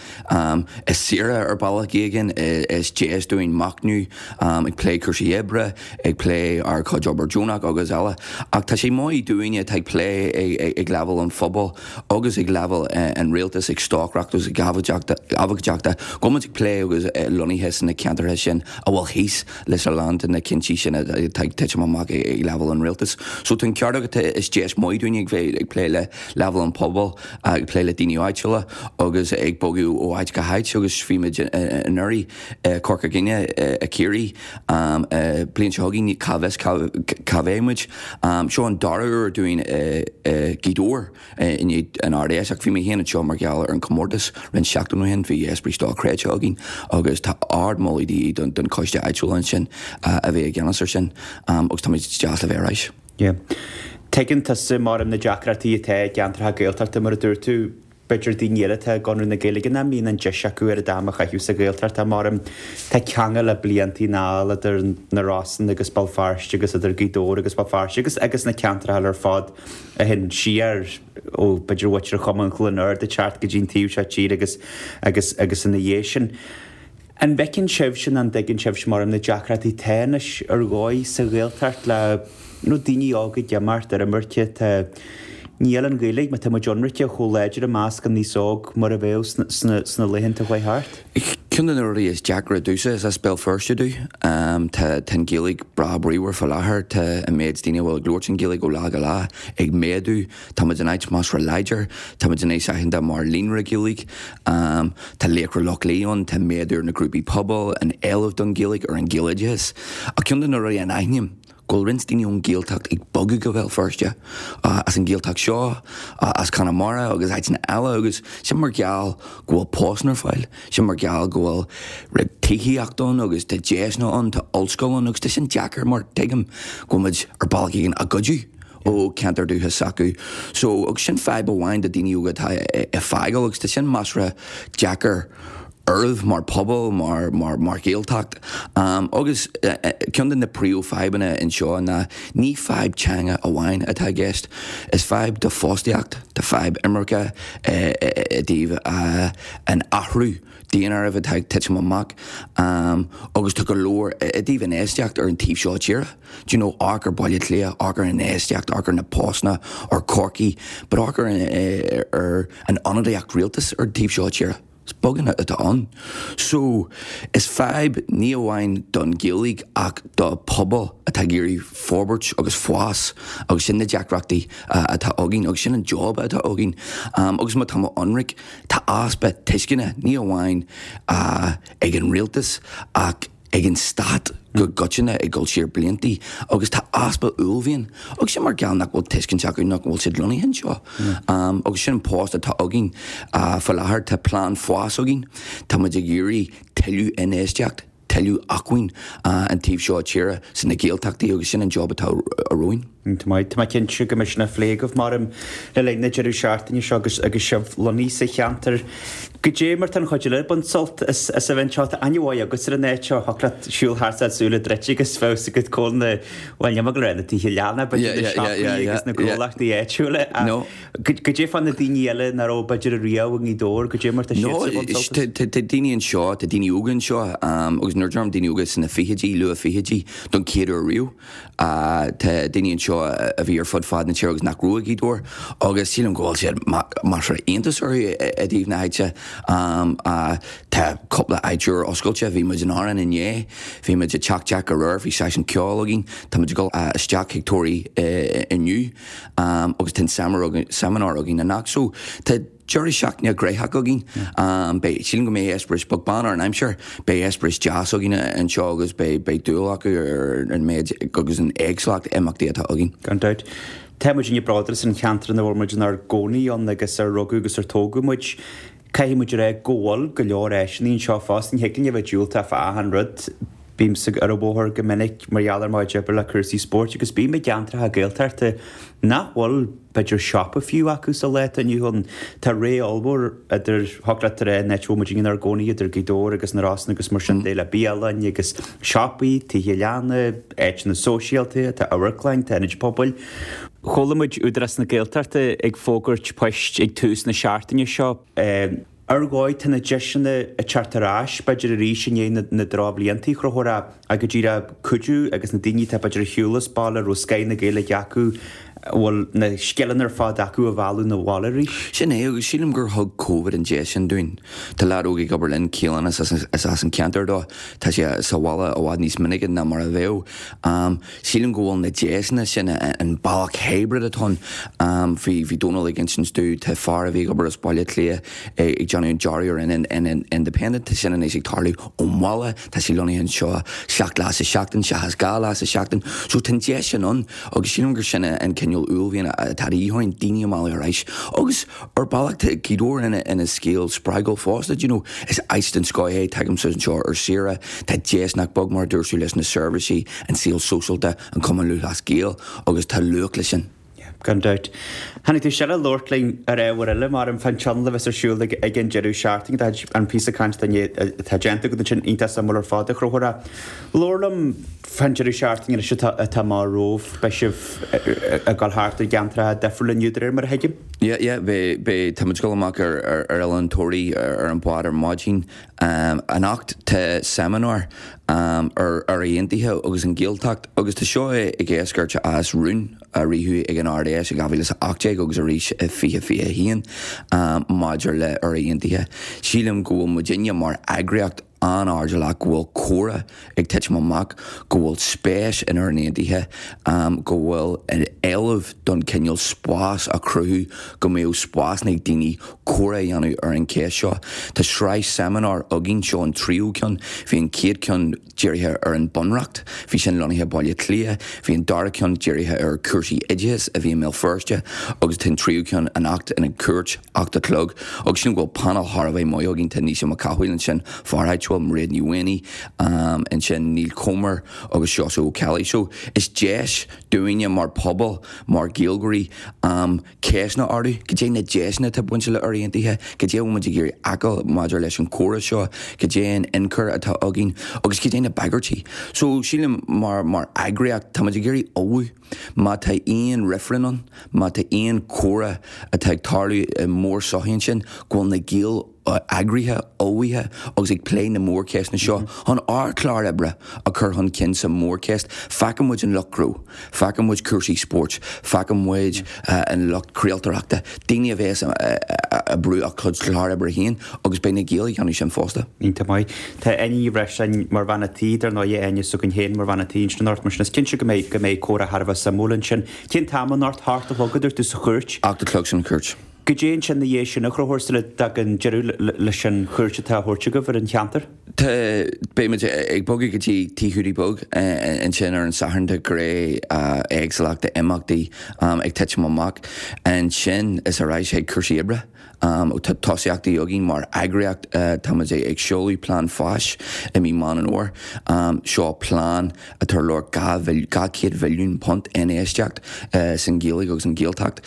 Is saoire ar bhealach éigin, is deis dúinn machnamh, ag plé cúrsaí oibre, ag plé ár gcuid obair deonach agus eile. Ach tá sé maith dúinne atá ag plé ag leibhéal an phobail agus ag leibhéal an rialtais, ag stocaireacht agus ag abhcóideachta, go bhfuil muid ag plé agus lonnaithe sna ceantracha sin a bhfuil thíos leis a lán de na cinntí sin atá ag titim amach ag leibhéal an rialtais. So tá an ceart agat, is deis maith dúinne ag bheith ag plé le leibhéal an pobail, ag plé le daoine áitiúla agus ag bogadh ó áit go háit agus bhí muid anuraidh i Corca Dhuibhne, i Ciarraí, bliain seo chugainn cá bhfios cá mbeidh muid. Seo an dara huair dúinn i Gaoth Dobhair i ndiaidh an Ard-Fheis ach bhí mé féin anseo mar gheall ar an chomórtas roinnt seachtain ó shin, bhí Esprit dochreidte againn agus tá ardmholadh de dhíth don choiste áitiúil ansin a bheith i gceannas ar sin agus tá muid deas le bheith ar ais. Yeah. Tuigeann tusa mar na deacrachtaí atá i gceantracha Gaeltachta mar a dúirt tú, b'fhéidir daoine eile atá i gConradh na Gaeilge nach mbíonn an deis acu ar an am a chaitheamh sa Ghaeltacht mar tá ceangal le bliantaí anall idir na Rosann agus Béal Feirste agus idir Gaoth Dobhair agus Béal Feirste agus agus na ceantracha eile ar fad a théann siar ó b'fhéidir mhuintir Chumann Chluain Ard ag teacht go dtí an taobh seo tíre agus agus agus ina dhiaidh sin. An bhfeiceann sibhse nó an dtuigeann sibhse mar na deacrachtaí atá anois ar dhóigh sa Ghaeltacht le you know, daoine óga ag imeacht ar imirce tá níl an Ghaeilge má tá muid ionraice chomh láidir i measc an aos óg mar a bheadh sna, sna, sna laethanta chuaigh thart. Ceann de na rudaí is deacra domhsa is as Béal Feirste domh. Tá tá an Ghaeilge breá bríomhar faoi láthair, tá an méid daoine a bhfuil ag labhairt an Ghaeilge ó lá go lá ag méadú, Tá muid in áit measartha láidir, tá muid anois aitheanta mar líonra Gaeilge, tá Laochra Loch Lao ann, tá méadú ar na grúpaí pobail, an éileamh don Ghaeilge, ar an Ghaeloideachas. Ach ceann de na rudaí a aithním, go bhfuil roinnt daoine ón Ghaeltacht ag bogadh go Béal Feirste, as an Ghaeltacht seo, as Conamara agus áiteanna eile agus sin mar gheall go bhfuil postanna ar fáil, sin mar gheall go bhfuil tithíocht ann agus tá deiseanna ann, tá ollscoil ann agus tá sin deacair mar tuigim go bhfuil muid ar bealach éigin á goideadh ó ceantar dúchais s'acu. So agus sin fadhb amháin do daoine óga atá ag fágáil agus tá sin measartha deacair oraibh mar pobal, mar mar mar Ghaeltacht. Um, agus ceann de na príomhfhadhbanna anseo ná ní fadhb teanga amháin atá i gceist, is fadhb do fostaíocht, tá fadhb imirce i dtaobh an athrú daonáirimh atá ag titim amach um, agus tá go leor i dtaobh infheistíocht ar an taobh seo tíre. Do you know, amharc ar Baile Átha Cliath, amharc ar an infheistíocht, amharc ar na postanna, ar Corcaigh, but amharc ar, ar an ionadaíocht rialtais ar an taobh seo tíre. Is beagán atá ann. So is fadhb ní amháin don Ghaeilge ach do pobal atá ag iarraidh forbairt agus fás agus sin na deacrachtaí atá againn agus sin an job atá againn. Um, agus má tá mé ionraic, tá easpa tuisceana ní amháin uh, ag an rialtas ach ag an stát go coitianta ag dul siar bliantaí agus tá easpa uaillmhian agus sin mar gheall nach bhfuil tuiscint acu nach bhfuil siad lonnaithe anseo. Um, agus sin an post atá againn uh, faoi láthair tá plean fás againn, Tá muid ag iarraidh tuilleadh infheistíocht, tuilleadh tuilleadh acmhainn an taobh seo tíre sna Gaeltachtaí agus sin an job atá romhainn. Tá mé cinnte go mbeidh sin á phlé agaibh mar le linn na deireadh seachtaine seo agus agus sibh lonnaithe sa cheantar. Goidé mar tá an chuid eile ag baint sult as as a bheith anseo. Tá aithne mhaith agat ar an áit seo, thiocfadh leat siúl thart is súile druidte agus bheadh a fhios agat cá bhfuil na bhuel níl mé ag rá na tithe leanna b'fhéidir na siopaí agus na gnólachtaí áitiúla. Goidé fá na daoine eile nach raibh b'fhéidir riamh i nGaoth Dobhair, goidé mar tá siadsan ag baint sult as? Tá daoine anseo, tá daoine óga anseo agus nuair a deirim daoine óga sna fichidí, luath fichidí don chéad uair riamh. Tá daoine anseo a bhí ar fud fad na tíre agus nach raibh i nGaoth Dobhair agus sílim go bhfuil siad measartha iontas orthu i dtaobh na háite. Tá cúpla áit úr oscailte, bhí muid in Árainn inné, bhí muid i Teach Jack aréir, bhí seisiún ceoil againn, tá muid ag dul isteach chuig Toraí inniu agus tá an seimineár againn anocht. So tá deireadh seachtaine gnóthach againn. Beidh, sílim go mbeidh eispéireas beag beann ar an aimsir, beidh eispéireas deas againn anseo agus beidh, beidh dúil acu ar an méid agus an éagsúlacht imeachtaí atá againn. Gan dabht. Tá muidinne bródúil as an cheantar ina bhfuil muid inár gcónaí ann agus ar rugadh agus ar tógadh muid. Caithfidh muid a rá go bhfuil go leor áiseanna anseo fosta. Ní thig linn a bheith diúltach fá achan rud. Bímse ar an bhóthar go minic mar gheall ar mo chuid oibre le cúrsaí spóirt agus bím i gceantracha Gaeltachta nach bhfuil, b'fhéidir, siopa fiú acu sa lá atá inniu ann. Tá ré ollmhór idir, thiocfadh leat a rá, an áit a bhfuil muid inár gcónaí, idir Gaoth Dobhair agus na Rosann agus mar sin de, le bialann agus siopaí, tithe leanna, áiteanna sóisialta, tá amharclann, tá ionaid pobail. Chuala muid Údarás na Gaeltachta ag fógairt poist ag tús na seachtaine seo. Ar dhóigh, tá na deiseanna ag teacht ar ais, b'fhéidir arís i ndiaidh na drochbhlianta, a Chonchúir, ach go díreach cuidiú agus na daoine atá b'fhéidir ar shiúl as baile, a raibh scoth na Gaeilge acu, a bhfuil na scileanna ar fad acu a mhealladh 'na bhaile arís. Sin é, agus sílim gur thug Covid an deis sin dúinn. Tá leaid óg ag obair linn, Kealan, is as an ceantar dó, tá sé sa bhaile i bhfad níos minice ná mar a bheadh. Sílim go bhfuil na deiseanna sin, an bealach hybrid atá ann, bhí bhí Dónal ag insint domh, tá fear a bhí ag obair as Baile Átha Cliath ag déanamh an dearadh ar an Independent, tá sin anois ag tarlú ón bhaile, tá sé lonnaithe anseo seacht lá sa seachtain seachas dhá lá sa seachtain. So tá an deis sin ann agus sílim gur sin an cineál uaillmhian atá de dhíth orainn, daoine a mhealladh ar ais. Agus ar bealach tá Gaoth Dobhair ina ina scéal spreagúil fosta, do you know, is áit den scoth é, tagaimse anseo ar saoire, tá deis nach beag mar a dúirt tú leis na seirbhísí, an saol sóisialta, an Cumann Lúthchleas Gael agus tá luach leis sin. Yeah, gan dabht. Tháinig tú isteach le labhairt linn ar ábhar eile mar an fán tionól a bheas ar siúl ag ag an deireadh seachtaine. Tá an píosa cainte atá déanta agat ansin iontach suimiúil ar fad a Chonchúir. Labhair liom fán deireadh seachtaine anois atá atá amach romhaibh. Beidh sibh ag dul thart ar gceantracha difriúla inniu de réir mar a thuigim. Yeah, yeah, beidh, beidh, tá muid ag dul amach ar ar ar Oileán Toraí ar an bhád ar maidin. Anocht tá seimineár ar Éire Aontaithe agus an Ghaeltacht agus tá seo ag eascairt as rún a ritheadh ag an Ard-Fheis i dhá mhíle is a ocht déag agus arís i fiche fiche a haon maidir le Éire Aontaithe. Sílim go bhfuil muidinne mar eagraíocht an-airdeallach go bhfuil comhrá ag titim amach, go bhfuil spéis in Éirinn Aontaithe, go bhfuil éileamh don cineál spás a chruthú go mbeadh spásanna ag daoine comhrá a dhéanamh ar an cheist seo. Tá sraith seimineár againn, seo an tríú ceann. Bhí an chéad ceann dírithe ar an Bunreacht, bhí sin lonnaithe i Baile Átha Cliath, bhí an dara ceann dírithe ar chúrsaí oideachais a bhí i mBéal Feirste agus tá an tríú ceann anocht ina Chúirt, ocht a chlog. Agus sílim go bhfuil panel thar a bheith maith againn, tá Naoise Mac Cathmhaoil ansin, fear áitiúil, Mairéad Ní Mhaonaigh ansin, Neil Comer agus Seosamh Ó Ceallaigh. So is deis dúinne mar phobal, mar Ghaeilgeoirí, ceisteanna a ardú, goidé na deiseanna atá bainte le Éire Aontaithe, goidé a bhfuil muid ag iarraidh fheiceáil maidir leis an chomhrá seo, goidé an ionchur atá againn agus goidé na bagairtí. So sílim mar mar eagraíocht tá muid ag iarraidh ullmhú má tá aon reifreann ann, má tá aon chomhrá atá ag tarlú i mór-sochaí ansin, go bhfuil na Gaeil eagraithe, ullmhaithe agus ag plé na mórcheisteanna seo chun ár clár oibre a chur chun cinn sa mórcheist. Feiceann muid an lucht gnó, feiceann muid cúrsaí spóirt, feiceann muid an lucht craoltóireachta, daoine a bheas ag brú a gcuid clár oibre féin agus beidh na Gaeil ag déanamh sin fosta. Iontach maith. Tá Áine Ní Bhreisleáin mar bhean a' tí, dar ndóigh, Áine s'againn féin mar bhean a' tí ansin anocht, mar sin is cinnte go mbeidh go mbeidh comhrá thar a bheith suimiúil ansin. Cén t-am anocht? A hocht a chlog a dúirt tú sa chúirt? Ocht a chlog san chúirt. Goidé ansin ina dhiaidh sin a Chonchúir sula dtagann deireadh leis an chuairt atá á thabhairt agaibh ar an cheantar? Tá, beidh muid ag bogadh go dtí Tigh Hiúdaí Beag ansin ar an Satharn tá gré éagsúlacht d'imeachtaí ag titim amach. Ansin is ar ais chuig cúrsaí oibre. Tá tosaíochtaí againn mar eagraíocht, táimid ag seoladh plean fáis i mí Meán an Fhómhair. Seo plean atá ar lorg dhá chéad mhilliún punt infheistíocht san Ghaeilge agus an Ghaeltacht.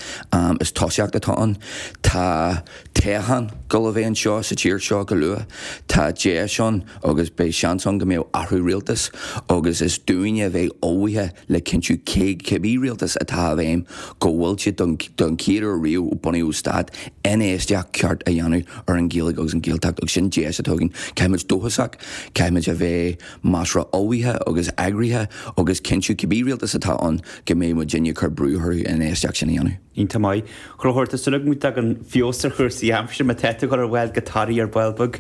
Is tosaíocht atá ann. Tá toghchán ag dul a bheith anseo sa tír seo go luath. Tá deis ann agus beidh seans ann go mbeadh athrú rialtais agus is dúinne a bheith ullmhaithe le cinntiú cé cibé rialtas atá i bhfeidhm go bhfuil siad don don chéad uair riamh ó bunaíodh stát infheistíocht ceart a dhéanamh ar an Ghaeilge agus an Ghaeltacht agus sin deis atá againn. Caithfimid dóchasach, caithfimid a bheith measartha ullmhaithe agus eagraithe agus cinntiú cibé rialtas atá ann go mbeidh muidinne ag cur brú orthu an infheistíocht sin a dhéanamh. Iontach maith. A Chonchúir, tá súil agam go dtagann feabhas ar chúrsaí aimsire má tá tú ag dul ar bhád go Toraigh ar ball beag,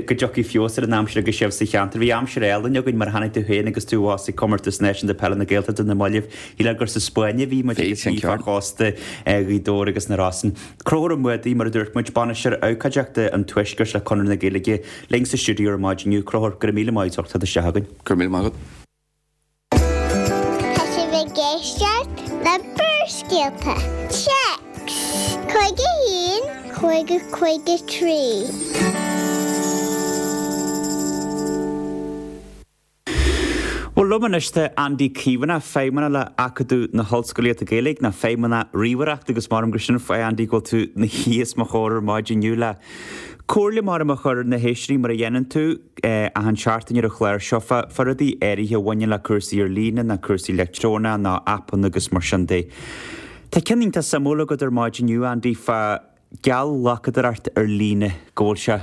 go dtiocfaidh feabhas ar an aimsir agus sibh sa cheantar. Bhí aimsir álainn againn mar a chonaic tú féin agus tú abhus ag Comórtas Náisiúnta Peile na Gaeltachta na mallaibh. Shílfeá gur sa Spáinn a bhí muid agus ní fá chósta Ghaoth Dobhair agus na Rosann. Conchúr Ó Muadaigh, mar a dúirt muid, Bainisteoir Abhcóideachta an Tuaiscirt le Conradh na Gaeilge, linn sa stiúideo ar maidin inniu. Conchúr, go raibh míle maith agat as ucht teacht isteach chugainn. Go raibh míle maith agat. Tá sibh ag éisteacht le Barrscéalta. Téacs cúig a haon, cúig a cúig a trí. Bhuel, liom anois tá Andy Caomhánach, Feidhmeannach le Acadamh na hOllscolaíochta Gaeilge, nó Feidhmeannach Ríomhaireachta agus maram gur sin an fáth, Andy, go bhfuil tú ina shuí os mo chomhair ar maidin inniu le comhairle maram a chur ar na héisteoirí mar a dhéanann tú achan seachtain ar an chlár seo fá fá rudaí áirithe a bhaineann le cúrsaí ar líne nó cúrsaí leictreonach nó aipeanna agus mar sin de. Tá ceann iontach suimiúil agat ar maidin inniu, Andy, fá geallghlacadóireacht ar líne, go bhfuil sé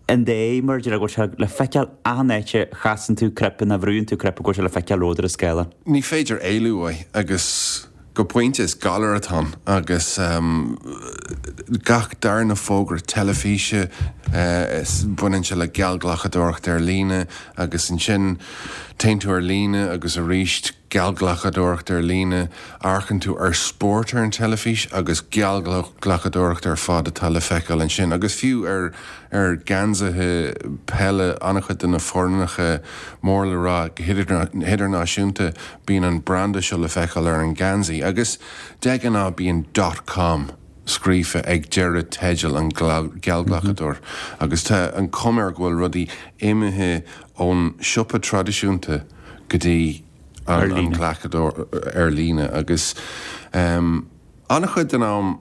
in dé mar go bhfuil sé le feiceáil achan áit a chasann tú cnaipe nó bhrúann tú cnaipe go bhfuil sé le feiceáil romhat ar an scáileán. Ní féidir éalú uaidh agus go pointe is galar atá ann agus gach darna fógra teilifíse baineann sé le geallghlacadóireacht ar líne agus ansin téann tú ar líne agus arís geallghlacadóireacht ar líne, amharcann tú ar spórt ar an teilifís agus geallghlacadóireacht ar fad atá le feiceáil ansin agus fiú ar ar gheansaithe peile an-chuid de na foirneacha mór le rá go hidirnáisiúnta bíonn an branda seo le feiceáil ar an ngeansaí agus de ghnáth bíonn dot com scríofa ag deireadh teideal an geallghlacadóir agus tá an chuma air go bhfuil rudaí imithe ón siopa traidisiúnta go dtí an glacadóir ar líne agus an-chuid den am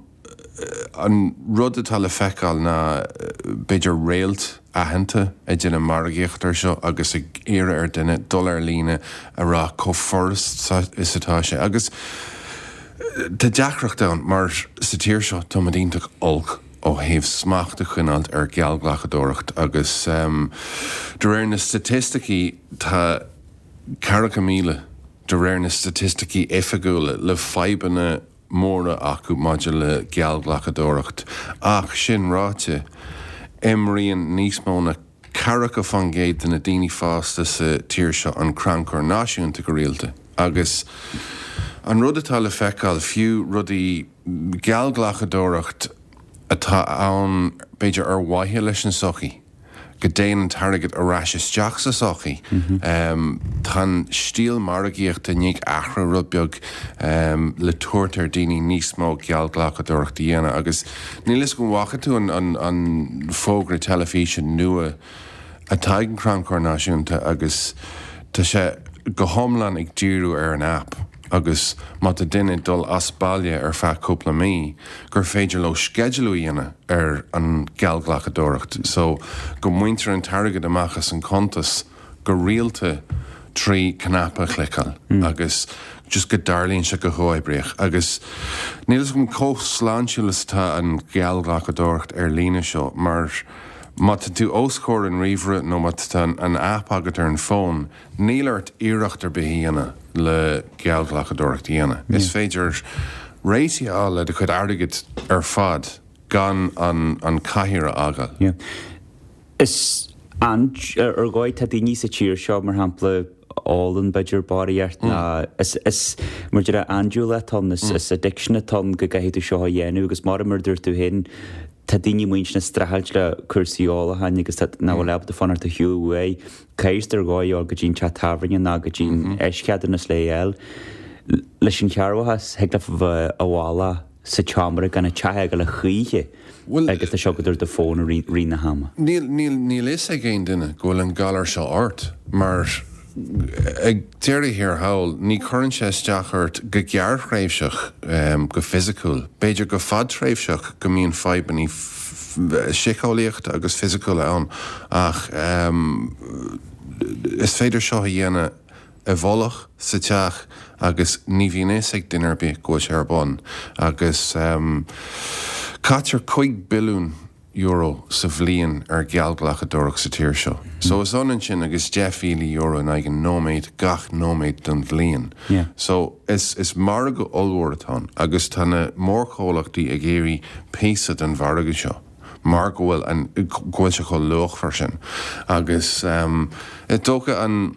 an rud atá le feiceáil ná b'fhéidir réalt aitheanta ag déanamh margaíocht air seo agus ag iarraidh ar duine dul ar líne a rá chomh furasta is atá sé agus tá deacracht ann mar sa tír seo tá muid iontach olc ó thaobh smacht a choinneáilt ar gheallghlacadóireacht agus de réir na staitisticí tá ceathracha míle de réir na staitisticí oifigiúla le fadhbanna móra acu maidir le geallghlacadóireacht. Ach sin ráite, imríonn níos mó ná ceathracha faoin gcéad de na daoine fásta sa tír seo an Crannchur Náisiúnta go rialta. Agus an rud atá le feiceáil, fiú rudaí geallghlacadóireacht atá ann b'fhéidir ar mhaithe leis an sochaí, go dtéann an t-airgead ar ais isteach sa sochaí. Tá an stíl margaíochta i ndiaidh athrú rud beag le tabhairt ar daoine níos mó geallghlacadóireacht a dhéanamh agus níl fhios agam an bhfaca tú an fógra teilifíse nua atá ag an Crannchur Náisiúnta agus tá sé go hiomlán ag díriú ar an aip agus má tá duine ag dul as baile ar feadh cúpla mí gur féidir leo sceidealú a dhéanamh ar an geallghlacadóireacht so go mbaintear an t-airgead amach as an cuntas go rialta trí cnaipe a chliceáil agus just go dtarlaíonn sé go huathoibríoch agus níl fhios agam chomh sláintiúil is atá an gheallghlacadóireacht ar líne seo mar má tá tú os comhair an ríomhaire nó má tá an aip agat ar an bhfón, níl ort iarracht ar bith a dhéanamh le geallghlacadóireacht a dhéanamh. Is féidir réitigh a fháil le do chuid airgid ar fad gan an cathaoir a fhágáil. Is an ar dhóigh tá daoine sa tír seo, mar shampla, ólann b'fhéidir barraíocht ná is is mar deir andúil atá ann, is is addiction atá ann go gcaithfidh tú seo a dhéanamh agus mar mar a dúirt tú féin tá daoine muinteartha ag streachailt le cúrsaí ólacháin agus tá nach bhfuil ábalta fanacht ar shiúl uaidh. Caithfidh ar dhóigh dul go dtí an teach tábhairne ná go dtí an eischeadúnas le fháil. Leis an chearrbhachas thig leat a bheith i bhfolach sa tseomra gan an teach a fhágáil a choíche agus tá sé agat ar do fón i rith na hama. Níl níl fhios ag aon duine go bhfuil an galar seo ort mar ag deireadh thiar thall ní chuireann sé isteach ort go gearrthréimhseach go fisiciúil, b'fhéidir go fadtréimhseach go mbíonn fadhbanna síceolaíochta agus fisiciúla ann ach is féidir seo a dhéanamh i bhfolach sa teach agus ní bhíonn fhios ag duine ar bith go bhfuil sé ar bun agus caitear cúig billiún euro sa bhliain ar gheallghlacadóireacht sa tír seo. So is ionann sin agus deich mhíle euro in aghaidh an nóiméad gach nóiméad den bhliain. So is is margadh ollmhór atá ann agus tá na mórchomhlachtaí ag iarraidh píosa den mhargadh seo mar go bhfuil an go bhfuil sé chomh luachmhar sin. Agus is dócha an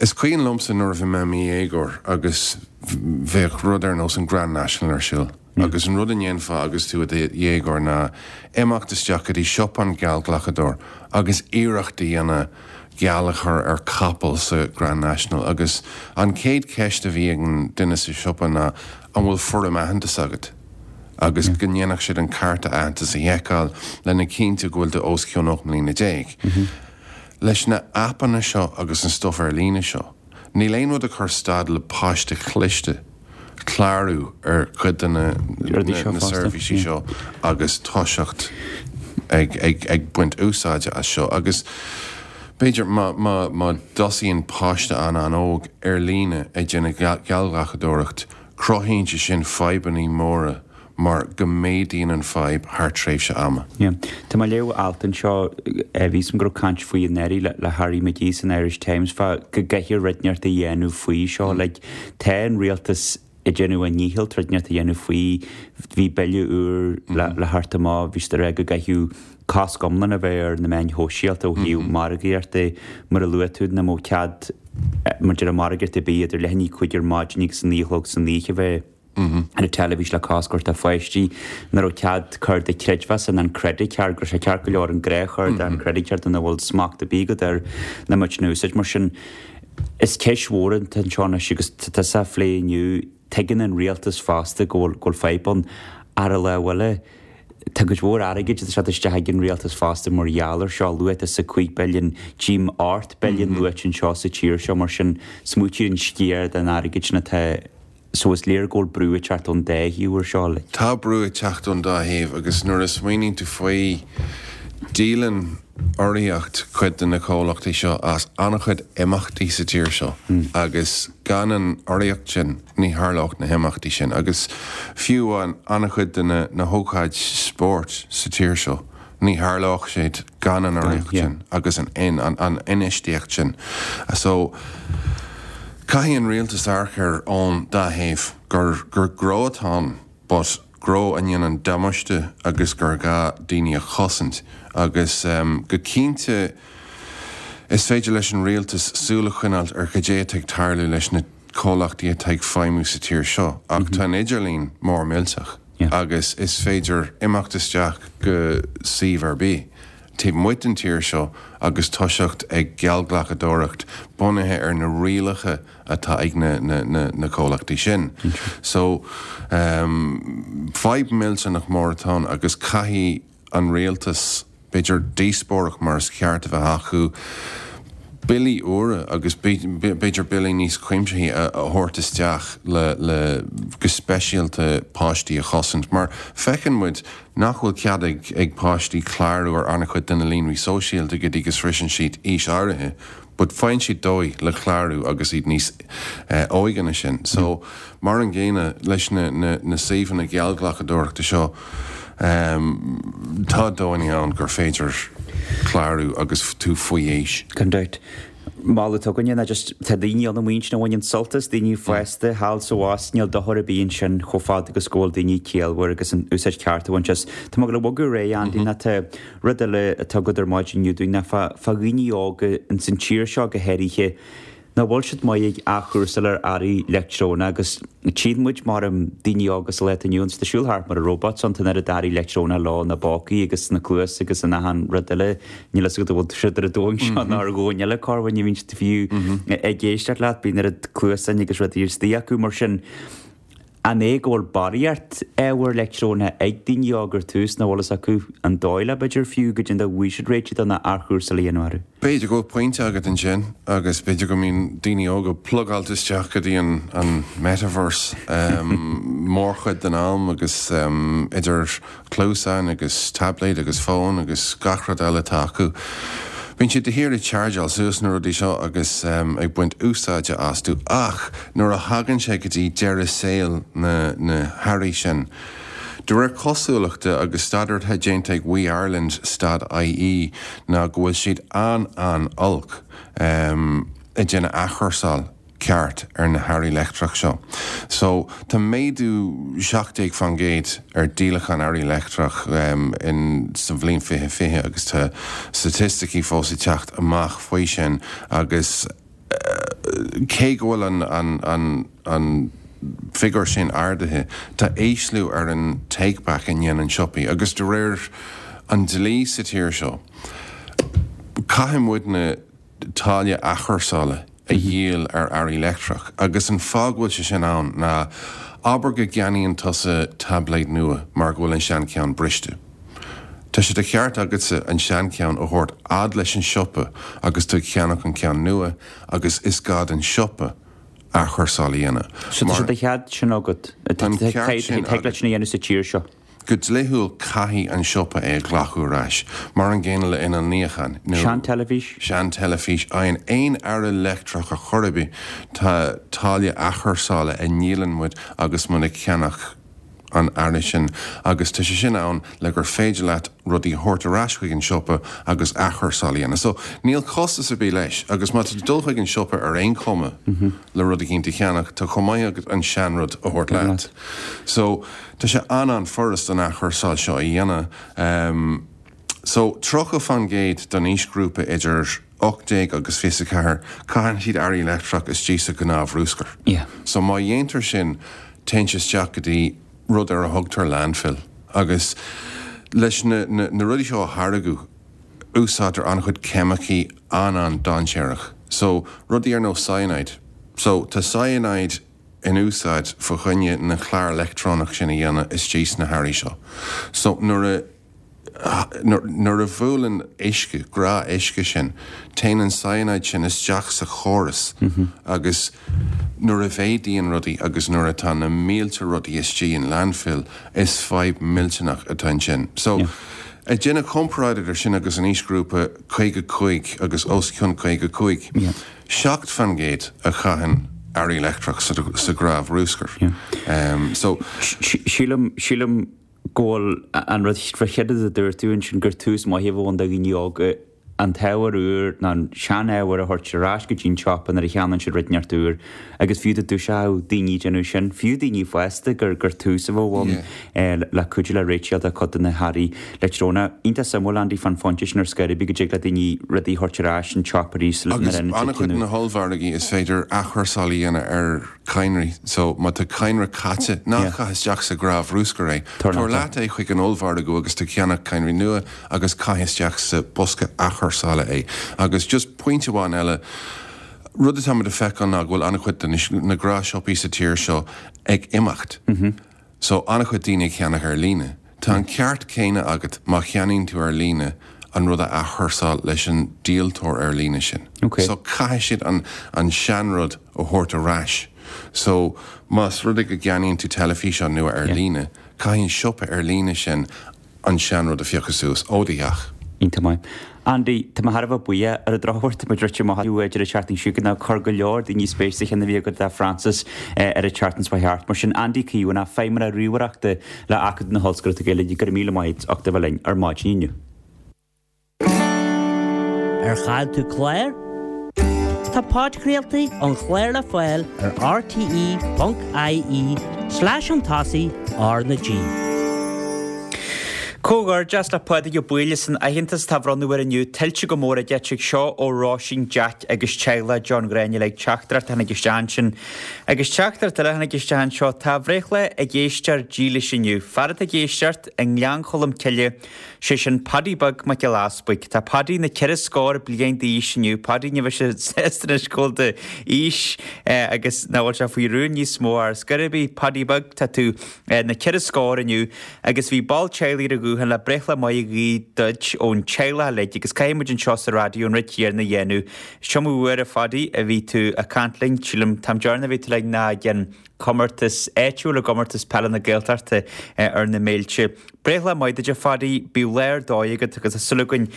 Is cuimhin liomsa nuair a bhí mé i mo dhéagóir agus bheadh rud ar nós an Grand National ar siúl agus an rud a ndéanfá agus tú i do dhéagóir ná imeacht isteach go dtí siopa an geallghlacadóir agus iarracht a dhéanamh geall a chur ar capall sa Grand National agus an chéad cheist a bhí ag an duine sa siopa ná an bhfuil foirm aitheantais agat? agus go ndéanfadh siad an cárta aitheantais a sheiceáil lena chinntiú go bhfuil tú os cionn ocht mbliana déag. Leis na aipeanna seo agus an stuif ar líne seo, níl aon rud ag cur stad le páiste cliste clárú ar chuid de na seirbhísí seo agus toiseacht ag ag ag baint úsáide as seo. Agus b'fhéidir má má má dtosaíonn páiste an-an-óg ar líne ag déanamh geallghlacadóireacht, cruthaíonn sé sin fadhbanna móra mar go méadaíonn an fadhb thar tréimhse ama. Yeah. Tá mé ag léamh alt anseo, bhí 'fhios a'm go raibh caint faoi anuraidh le Harry McGee san Irish Times fá go gcaithfear rud inteacht a dhéanamh faoi seo. Like, tá an rialtas ag déanamh a ndícheall rud inteacht a dhéanamh faoi. Bhí bille úr le le theacht amach, bhí siad ag rá go gcaithfeadh cosc iomlán a bheith ar na meáin shóisialta ó thaobh margaíochta mar a luaigh tú, nach mbeadh cead maidir le margaíocht ar bith idir leath i ndiaidh a cúig ar maidin agus a naoi a chlog san oíche a bheith ar an teilifís le cosc a thabhairt do pháistí, nach raibh cead cárta creidmheasa ná an credit card, go raibh sé ceart go leor an gnáthchárta, an credit card nach bhfuil smacht ar bith agat air nach mbeadh in úsáid. Mar sin, is ceist mhór atá anseo anois agus tá tusa á phlé inniu, tuigeann an rialtas fosta go bhfuil go bhfuil fadhb ann. Ar an lámh eile, tá cuid mhór airgid ag teacht isteach ag an rialtas fosta mar gheall ar seo, luaigh tusa cúig billiún, tchím ocht billiún luaite anseo sa tír seo, mar sin smaoitigh ar an sciar den airgead sin atá So is léir go bhfuil brú ag teacht ón dá thaobh ar seo. Tá brú ag teacht ón dá thaobh agus nuair a smaoiníonn tú faoi, díolann urraíocht cuid de na comhlachtaí seo as an-chuid imeachtaí sa tír seo agus gan an urraíocht sin ní tharlódh na himeachtaí sin agus fiú amháin an-chuid de na hócáid spóirt sa tír seo. Ní tharlódh siad gan an urraíocht sin agus an infheistíocht sin. So, caithfidh an rialtas amharc air ón dá thaobh, gur gur gnó atá ann but gnó a ndéanann damáiste agus gur gá daoine a chosaint agus go cinnte is féidir leis an rialtas súil a choinneáilt ar cad é atá ag tarlú leis na comhlachtaí atá ag feidhmiú sa tír seo ach tá an idirlíon mór millteach. agus is féidir imeacht isteach go suíomh ar bith taobh amuigh den tír seo agus toiseacht ag geallghlacadóireacht bunaithe ar na rialacha atá ag na na na comhlachtaí sin. So, fadhb millteanach mór atá ann agus caithfidh an rialtas, b'fhéidir, díospóireacht mar is ceart a bheith acu, billí úra agus b'fhéidir billí níos cuimsithí a thabhairt isteach le le go speisialta páistí a chosaint mar feiceann muid nach bhfuil cead ag ag páistí clárú ar an-chuid de na líonraí sóisialta go dtí go sroiseann siad aois áirithe but faigheann siad dóigh le clárú agus iad níos óige ná sin. So mar an gcéanna leis na na na suíomhanna geallghlacadóireachta seo tá dóigheanna ann gur féidir clárú agus tú faoi aois. Gan dabht. Moladh atá againne ná just tá daoine ann amuigh ansin a bhaineann sult as, daoine fásta, thall is abhus, níl dochar ar bith ansin chomh fada agus go bhfuil daoine ciallmhar agus an úsáid cheart a bhaint as. Tá mé ag gabháil a bhogadh ar aghaidh, Andy, ná tá rud eile atá agat ar maidin inniu dúinn ná fá fá dhaoine óga ins an tír seo go háirithe, nach bhfuil siad maith ag athchúrsáil ar earraí leictreonach agus tchíonn muid mar daoine óga sa lá atá inniu ann, ag siúl thart mar a robots ann, tá an oiread earraí leictreonach leo ina bpócaí agus sna cluasa agus in achan rud eile. Níl fhios agat an bhfuil siad ar an domhan seo nó ar dhomhan eile, corruair ní bhíonn siad fiú ag éisteacht leat, bíonn oiread cluasáin agus rudaí istigh acu mar sin. An é go bhfuil barraíocht ábhar leictreonach ag daoine óga ar tús nach bhfuil fhios acu an dóigh le b'fhéidir fiú go dtí bhfuil siad réitithe don athchúrsáil a dhéanamh orthu? B'fhéidir go bhfuil pointe agat ansin agus b'fhéidir go mbíonn daoine óga plugáilte isteach go dtí an an metaverse mórchuid den am agus idir cluasáin agus tablet agus fón agus gach rud eile atá acu. Bíonn siad de shíor ag chargeáil suas na rudaí seo agus ag baint úsáide astu ach nuair a thagann sé go dtí deireadh saoil na na hearraí sin, de réir cosúlachta agus staidéar atá déanta ag We Ireland stad IE ná go bhfuil siad an-an-olc ag déanamh athchúrsáil. ceart ar na hearraí leictreach seo. So, tá méadú seacht déag faoin gcéad ar díolachán earraí leictreach in sa bhliain fiche fiche agus tá staitisticí fós ag teacht amach faoi sin agus cé go bhfuil an an an an figiúr sin ardaithe, tá ísliú ar an take back a ndéanann siopaí agus de réir an dlí sa tír seo, caithfidh muidne táille athchúrsála a dhíol ar earraí leictreach agus an fáth go bhfuil sé sin ann ná abair go gceannaíonn tusa tablet nua mar go bhfuil an seancheann briste. Tá sé de cheart agatsa an seancheann a thabhairt fhad leis an siopa agus tú ag ceannach an ceann nua agus is gá don siopa athchúrsáil a dhéanamh. So tá sé de chead sin agat? Tá an ceart sin agat. Thig leat sin a dhéanamh sa tír seo? Go dlíthiúil caithfidh an siopa é a ghlacadh ar ais, mar an gcéanna le inneall níocháin nó. Sean-teilifís. Sean-teilifís, aon aon earra leictreach ar chor ar bith, tá táille athchúrsála a ndíolann muid agus muid ag ceannach an earra sin agus tá sé sin ann le gur féidir leat rudaí a thabhairt ar ais chuig an siopa agus athchúrsáil a dhéanamh. So, níl costas ar bith leis agus má tá tú ag dul chuig an siopa ar aon chuma le rud eicínt a cheannach, tá chomh maith agat an seanrud a thabhairt leat. So, tá sé an-an-fhurast an athchúrsáil seo a dhéanamh. So, tríocha faoin gcéad don aoisghrúpa idir ocht déag agus fiche a ceathair, caitheann siad earraí leictreach istigh sa ghnáthbhruscar. So, má dhéantar sin, téann sé isteach go dtí rud ar a thugtar landfill agus leis na na rudaí seo a tháirgeadh úsáidtear an-chuid ceimicí an-an-dainséarach so rudaí ar nós cyanide so tá cyanide in úsáid fá choinne na clár leictreonach sin a dhéanamh istigh sna hearraí seo so nuair a Nuair a bhuaileann uisce, gnáthuisce sin, téann an cyanide sin isteach sa chóras agus nuair a mhéadaíonn rudaí agus nuair atá na mílte rudaí istigh in landfill, is fadhb millteanach atá ansin. So, ag déanamh comparáid idir sin agus an aoisghrúpa caoga cúig agus os cionn caoga cúig, seacht faoin gcéad a chaitheann earraí leictreach sa ghnáthbhruscar. So. Sílim, sílim go bhfuil an rud chéanna a dúirt tú ansin gur tús maith a bheadh ann do dhaoine óga an t-ábhar úr nó an sean-ábhar a thabhairt ar ais go dtí an tsiopa nuair a cheannaíonn siad rud inteacht úr agus fiú dá dtoiseodh daoine ag déanamh sin, fiú daoine fásta, gur gur tús a bheadh ann le cuidiú le réiteach do chuid de na hearraí leictreonacha. Iontach suimiúil, Andy, fán phointe sin ar scor ar bith go dtig le daoine rudaí a thabhairt ar ais an tsiopa arís nuair a Agus an-chuid de na hollmhargaí is féidir athchúrsáil a dhéanamh ar cadhnraí. So, má tá cadhnra caite, ná caith isteach sa ghnáthbhruscar é. Tabhair leat é chuig an ollmhargadh agus tú ag ceannach cadhnraí nua agus caith isteach sa bosca athchúrsála é. Agus just pointe amháin eile, rud atáimid a feiceáil ná go bhfuil an-chuid de na gnáthshiopaí sa tír seo ag imeacht. So, an-chuid daoine ag ceannach ar líne. Tá an ceart céanna agat má cheannaíonn tú ar líne an rud a athchúrsáil leis an díoltóir ar líne sin. So caithfidh siad an an seanrud a thabhairt ar ais. So más rud é go gceannaíonn tú teilifíseán nua ar líne, caithfidh an siopa ar líne sin an seanrud a phiocadh suas ó do theach. Iontach maith. Andy, tá mé thar a bheith buíoch. Ar an drochuair, tá muid rite amach ó idir an tseachtain seo chugainn ach chuir go leor daoine spéis sa cheann a bhí agat le Francis ar an tseachtain seo thart. Mar sin, Andy Caomhánach, Feidhmeannach Ríomhaireachta le Acadamh na hOllscoile Gaeilge, go raibh míle maith agat as ucht a bheith linn ar maidin inniu. Ar chaill tú clár? Tá podchraoltaí an chláir le fáil ar rte ponc ie slash chun tosaigh R na G. Comhghairdeas le Pádraig Ó Baoill as an aitheantas atá á bhronnadh air inniu, tuillte go mór aige tig seo ó Róisín Jack agus teaghlach John Ghráinne le teachtaireacht a tháinig isteach ansin. Agus teachtaireacht eile a tháinig isteach anseo, tá a bhreithlá ag éisteoir dílis inniu. Fear atá ag éisteacht i nGleann Cholm Cille, sé sin Paddy Beag Mac Giolla Easpaig. Tá Paddy na ceithre scór bliain d'aois inniu. Paddy ní bheidh sé sásta anois go bhfuil d'aois agus nach bhfuil sé faoi rún níos mó ar scor ar bith. Paddy Beag, tá tú na ceithre scór inniu agus bhí ball teaghlaigh ar an ghuthán le breithlá maith a ghuí duit ón teaghlach uilig agus caithfidh muid anseo sa raidió an rud céanna a dhéanamh. Is iomaí uair a Phaddy a bhí tú ag caint linn, sílim, an t-am deireanach a bhí tú linn ná ag an comórtas áitiúil, i gcomórtas peile na Gaeltachta ar na Méilte. Breithlá maith duit a Phaddy, bíodh lá ar dóigh agat agus tá súil againn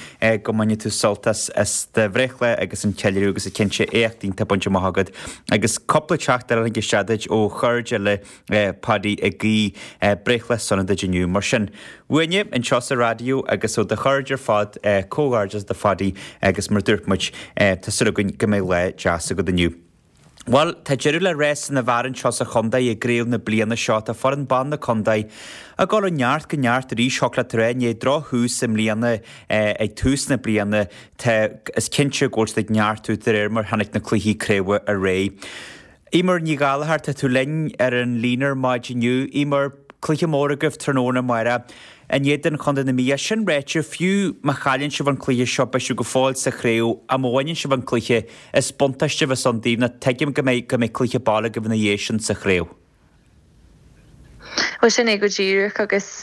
go mbainfidh tú sult as as do bhreithlá agus an ceiliúradh agus cinnte éacht iontach bainte amach agat. Agus cúpla teachtaireacht eile a tháinig isteach duit ó chairde eile Paddy ag guí breithlá sona duit inniu. Mar sin, uainne anseo sa raidió agus ó do chairde ar fad, comhghairdeas do Phaddy agus mar a dúirt muid, tá súil againn go mbeidh lá deas agat inniu. Bhuel, tá deireadh le rás na bhfear anseo sa chontae i gcraobh na bliana seo. Tá foireann ban na contae ag dul ó neart go neart arís, thiocfadh leat a rá, i ndiaidh drochthús i mbliana ag tús na bliana. Tá, is cinnte go bhfuil siad ag neartú de réir mar tháinig na cluichí craoibhe ar aghaidh. Eimear Ní Ghallchóir, tá tú linn ar an líne ar maidin inniu. Eimear, cluiche mór agaibh tráthnóna amárach in éadan Chontae na Mí. É sin ráite, fiú má chailleann sibh an cluiche seo, beidh sibh go fóill sa chraobh. Ach má bhaineann sibh an cluiche, is buntáiste a bheas ann daoibh nó tuigim go mbeidh go mbeidh cluiche baile agaibh ina dhiaidh sin sa chraobh. Bhuel, sin é go díreach agus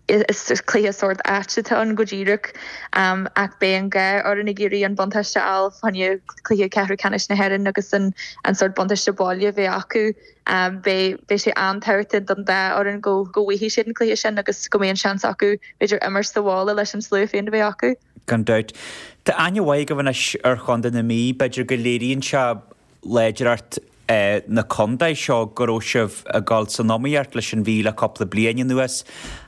is cluiche sórt ait atá ann go díreach ach beidh an gá orainn ag iarraidh an buntáiste a fháil fá choinne cluiche ceathrú ceannais na hÉireann agus an an sórt buntáiste baile a bheith acu. Beidh beidh sé an-tábhachtach don dá fhoireann go go bhfaighidh siad an cluiche sin agus go mbeidh an seans acu b'fhéidir imirt sa bhaile leis an slua féin a bheith acu. Gan dabht. Tá aithne mhaith agaibh anois ar Chontae na Mí, b'fhéidir go léiríonn sé láidreacht na contae seo go raibh sibh ag dul san iomaíocht leis an Mhí le cúpla bliain anuas.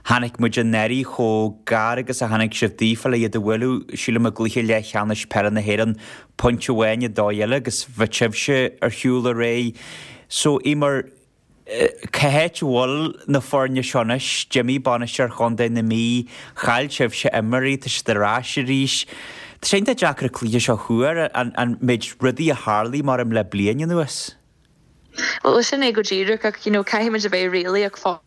Chonaic muid anuraidh chomh gar agus a tháinig sibh daofa le iad a bhualadh, sílim i gcluiche leathcheannais peile na hÉireann, pointe amháin an dóigh eile agus bheadh sibhse ar shiúl ar aghaidh. So, Eimear, cá háit a bhfuil na foirne seo anois? D'imigh bainisteoir Chontae na Mí, chaill sibhse imreoirí, tá siad ar ais arís. Tá sé iontach deacair an cluiche seo a thuar, an méid rudaí a tharlaigh maram le bliain anuas. Bhuel, sin é go díreach ach you know, caithfimid a bheith réalaíoch fosta.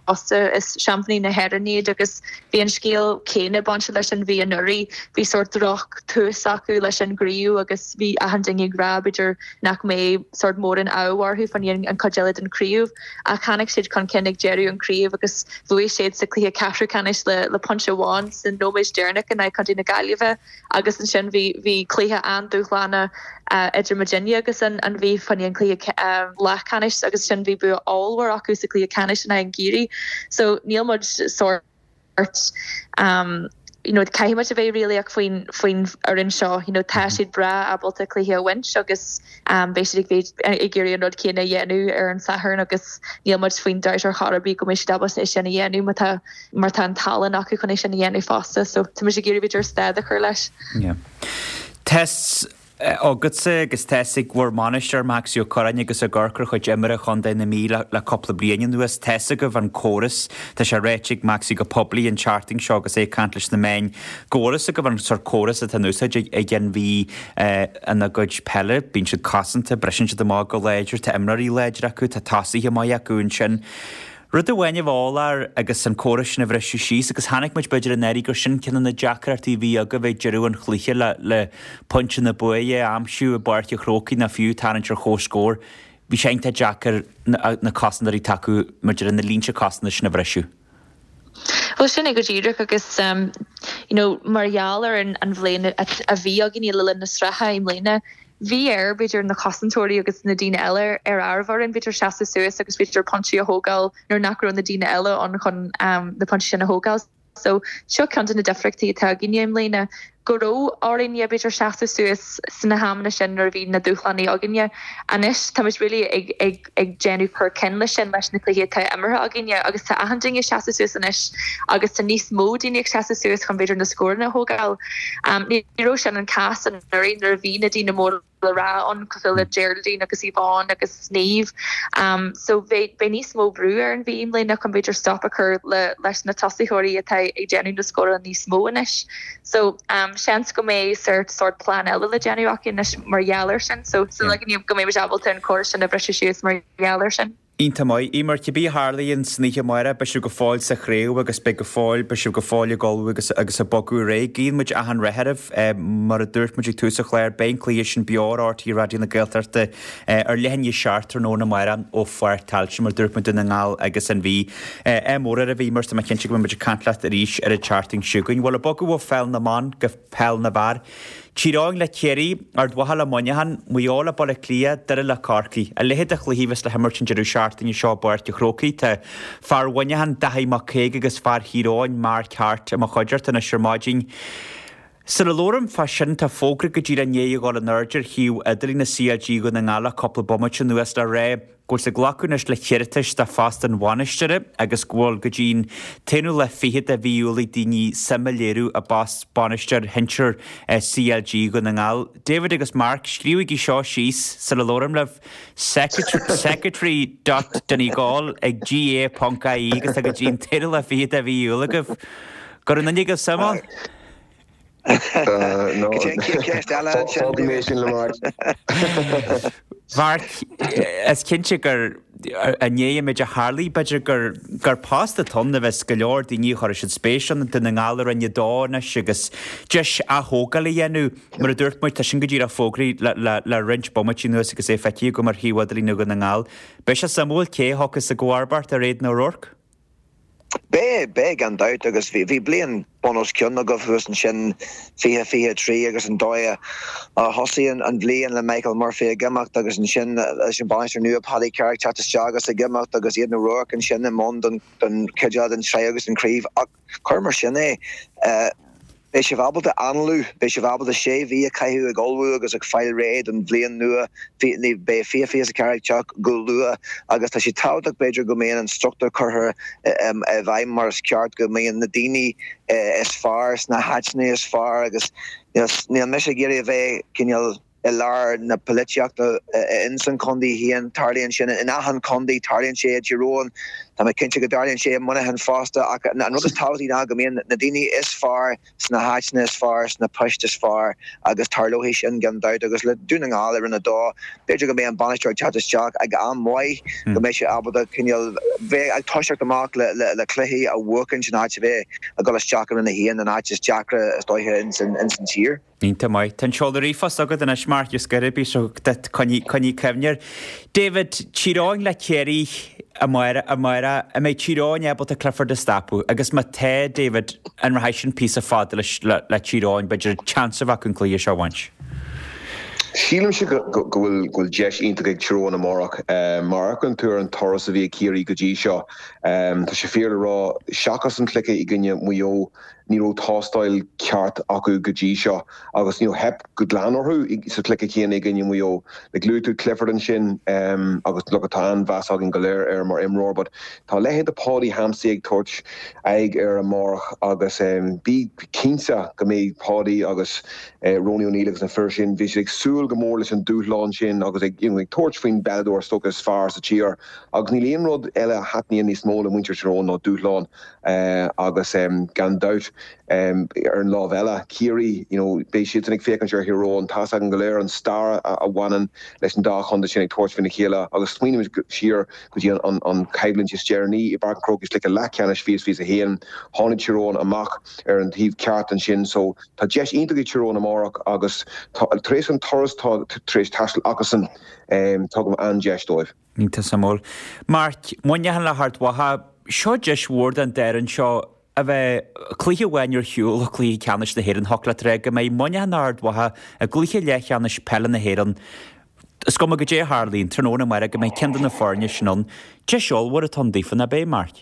Is seaimpíní na hÉireann iad agus bhí an scéal céanna bainte leis an Mhí anuraidh. Bhí sórt droch tús acu leis an gcraobh agus bhí achan duine ag rá b'fhéidir nach mbeidh sórt mórán ádh orthu fá choinne an chuid eile den chraobh ach tháinig siad chun cinn ag deireadh an chraobh agus bhuaigh siad sa chluiche ceathrú ceannais le le pointe amháin sa nóiméad deireanach in aghaidh Chontae na Gaillimhe agus ansin bhí bhí cluiche an-dúshlánach idir muidinne agus an an Mhí fá choinne an cluiche leathcheannais agus sin bhí bua ollmhór acu sa chluiche ceannais in aghaidh an Ciarraí. So níl muid sórt um, you know, caithfidh muid a bheith réalaíoch faoin faoin fhoireann seo, you know, tá siad breá ábalta cluiche a bhaint agus um, beidh siad ag ag iarraidh an rud céanna a dhéanamh ar an Satharn agus níl muid faoin dabht ar chor ar bith go mbeidh siad ábalta é sin a dhéanamh mar tá mar tá an tallann acu chun é sin a dhéanamh fosta, so tá muid ag iarraidh b'fhéidir stad a chur leis. Yeah. Tá a fhios agatsa agus tá a fhios ag bhur mbainisteoir Maxie Ó Curráin agus ag amharc ar chuid imeartha Chontae na Mí le cúpla bliain anuas. Tá a fhios agaibh an córas, tá sé ráite ag Maxie go poiblí an tseachtain seo agus é ag caint leis na meáin go bhfuil a fhios agaibh an sórt córas atá in úsáid ag an Mhí ina gcuid peile. Bíonn siad cosanta, briseann siad amach go láidir, tá imreoirí láidre acu, tá tosaithe maith acu ansin. Rud amháin a bheith eolach agus an córas sin a bhriseadh síos agus chonaic muid b'fhéidir anuraidh gur sin ceann de na deacrachtaí a bhí agaibh ag deireadh an chluiche le le pointe na bua a aimsiú i bPáirc an Chrócaigh nó fiú tarraingt ar comhscór. Bhí sé iontach deacair na na cosantóirí atá acu maidir le na línte cosanta sin a bhriseadh. Bhuel sin é go díreach agus um, you know, mar gheall ar an, an bhliain a, a bhí againn le linn na sraithe i mbliana, Bhí air b'fhéidir na cosantóirí agus na daoine eile ar ár bhfoireann b'fhéidir seasamh suas agus b'fhéidir pointí a thógáil nuair nach raibh na daoine eile ann chun um, na pointí sin a thógáil. So seo ceann de na difríochtaí atá againne i mbliana go raibh orainne b'fhéidir seasamh suas sna hamanna sin nuair a bhí na dúshláin againne. Anois táimid really ag, ag, ag déanamh cur cinn leis sin leis na cluichí atá imeartha againne agus tá achan duine seasamh suas anois agus tá níos mó daoine ag seasamh suas chun b'fhéidir na scóranna a thógáil. Um, ní raibh sin an cás anuraidh nuair a bhí na daoine mór le rá ann cosúil le Geraldine agus Yvonne agus Niamh. Um, so beidh níos mó brú ar an Mhí i mbliana chun b'fhéidir stop a chur le leis na tosaitheoirí atá ag déanamh na scórála níos mó anois. So um, seans go mbeidh sort sort plan eile le déanamh acu anois mar gheall air sin, so so like, go mbeidh ábalta an córas sin a bhriseadh síos mar gheall air sin. Iontach maith. Eimear, cibé a tharlaíonn san oíche amárach, beidh sibh go fóill sa chraobh agus beidh go fóill, beidh sibh go fóill ag ullmhú agus agus ag bogadh ar aghaidh. Guíonn muid achan rath oraibh. Mar a dúirt muid ag tús an chláir, beidh an cluiche sin beo ar RTÉ Raidió na Gaeltachta ar leath i ndiaidh a seacht tráthnóna amárach ó Pháirc Tailteann, mar a dúirt muid, Dún na nGall agus an Mhí. Ádh mór oraibh, Eimear, tá mé cinnte go mbeidh muid ag caint leat arís ar an tseachtain seo chugainn. Bhuel, ag bogadh ó pheil na mban go peil na bhfear. Tír Eoghain le Ciarraí, Ard Mhacha le Muineachán, Maigh Eo le Baile Átha Cliath, Doire le Corcaigh. A leithéid de chluichí a bheas le himirt an deireadh seachtaine seo i bPáirc an Chrócaigh. Tá fear Mhuineacháin, Daithí Mac Caoig agus fear Thír Eoghain, Mark Harte i mo chuideachta anois ar maidin. Sula labhraím fá sin tá fógra go díreach i ndiaidh a dhul in airde ar shuíomh idirlín na CLG Dhún na nGall le cúpla bomaite anuas le rá go bhfuil siad ag glacadh anois le hiarratais do phost an bhainisteora agus go bhfuil go dtí'n t-aonú lá fichead de mhí Iúil ag daoine suim a léiriú i bpost bainisteoir shinsir CLG Dhún na nGall. David agus Mark, scríobhaigí seo síos sula labhraím libh, secretary dot donegal ag gaa ponc ie agus tá go dtí'n t-aonú lá fichead de mhí Iúil agaibh. Go raibh duine agaibh suim ann? Mharc, is cinnte gur i ndiaidh an méid a tharlaigh, b'fhéidir gur gur post atá ann a bheas go leor daoine a chuirfidh siad spéis ann, Dún na nGall i Roinn a Dó anois agus deis aththógáil a dhéanamh. Mar a dúirt muid, tá sin go díreach fógraithe le le le roinnt bomaití anuas agus é feicthe agam ar shuíomh idirlín Dhún na nGall. Beidh sé suimiúil cé a thiocfas i gcomharbacht ar Aidan O'Rourke. Beidh, beidh gan dabht agus bhí, bhí bliain bun os cionn agaibh thuas ansin, fiche, fiche a trí agus an dóigh a thosaigh an bhliain le Michael Murphy ag imeacht agus ansin leis an bainisteoir nua Paddy Carrick teacht isteach agus ag imeacht agus Aidan O'Rourke ansin i mbun don, don chuid eile den tsraith agus den chraobh ach cuir mar sin é. Beidh sibh ábalta análú, beidh sibh ábalta sé mhí a chaitheamh ag ullmhú agus ag fáil réidh don bhliain nua. Beidh fiche fiche a ceathair ag teacht go luath agus tá sé tábhachtach b'fhéidir go mbíonn an struchtúr curtha i bhfeidhm mar is ceart, go mbíonn na daoine is fearr sna háiteanna is fearr agus níl mise ag iarraidh a bheith cineál i lár na polaitíochta ins an chontae féin. Tarlaíonn sin in achan chontae, tarlaíonn sé i dTír Eoghain, tá mé cinnte go dtarlaíonn sé i Muineachán fosta ach an rud is tábhachtaí ná go mbíonn na daoine is fearr sna háiteanna is fearr, sna poist is fearr agus tarlóidh sin gan dabht agus le Dún na nGall i Roinn a Dó, b'fhéidir go mbeidh an bainisteoir ag teacht isteach ag am maith, go mbeidh sé ábalta cineál bheith ag toiseacht amach le le cluichí a bhuachaint in áit a bheith ag dul isteach i Roinn a haon, an áit is deacra is dóiche ins an tír. Iontach maith. Tá an seoladh ríomhphost agat anois, Mark, is gurb í seo duit, coinnigh, coinnigh cuimhne air. David, Tír Eoghain le Ciarraí amárach, amárach, an mbeidh Tír Eoghain ábalta Clifford a stopadh? Agus má tá, David, an rachaidh sin píosa fada leis, le, le Tír Eoghain, b'fhéidir chance a bheith acu an cluiche seo a bhaint? Sílimse go, go, go bhfuil, go bhfuil deis iontach ag Tír Eoghain amárach. Má amharcann tú ar an turas a bhí ag Ciarraí go dtí seo, tá sé fíor le rá, seachas an cluiche i gcoinne Mhaigh Eo, Ní raibh tástáil ceart acu go dtí seo agus you know theip go glan orthu sa chluiche céanna i gcoinne Mhaigh Eo. Like luaigh tú Clifford ansin agus look tá an-mheas againn go léir air mar imreoir but tá a leithéid de Paudie Hampsey ag tabhairt aghaidh air amárach agus bí cinnte go mbeidh Paudie agus Ronie O'Neill agus na fir sin, bhí siad ag súil go mór leis an dúshlán sin agus ag you know ag tabhairt faoin bpeileadóir is dócha is fearr sa tír agus níl aon rud eile a thaitníonn níos mó le muintir Tír Eoghain ná dúshlán. Agus gan dabht, ar an lámh eile, Ciarraí, you know, beidh siadsan ag féachaint ar Thír Eoghain. Tá's againn go léir an stair a bhaineann leis an dá chontae sin ag tabhairt faoina chéile agus smaoinímid siar go dtí an choimhlint is deireanaí i bPáirc an Chrócaigh sa chluiche leathcheannais fiche fiche a haon. Tháinig Tír Eoghain amach ar an taobh ceart ansin so tá deis iontach ag Tír Eoghain amárach agus tar éis an turas atá tar éis taisteal acusan, tugaim an-deis dóibh. Iontach suimiúil. Mark, Muineachán le hArd Mhacha, Seo deis mhór don dá fhoireann seo a bheith cluiche amháin ar shiúl ó chluiche ceannais na hÉireann. Thiocfadh leat a rá go mbeidh Muineachán Ard Mhacha i gcluiche leathcheannais peile na hÉireann. Is cuma goidé a tharlaíonn tráthnóna amárach go mbeidh ceann de na foirne sin ann. Deis ollmhór atá ann daofa, nach ea, Mark?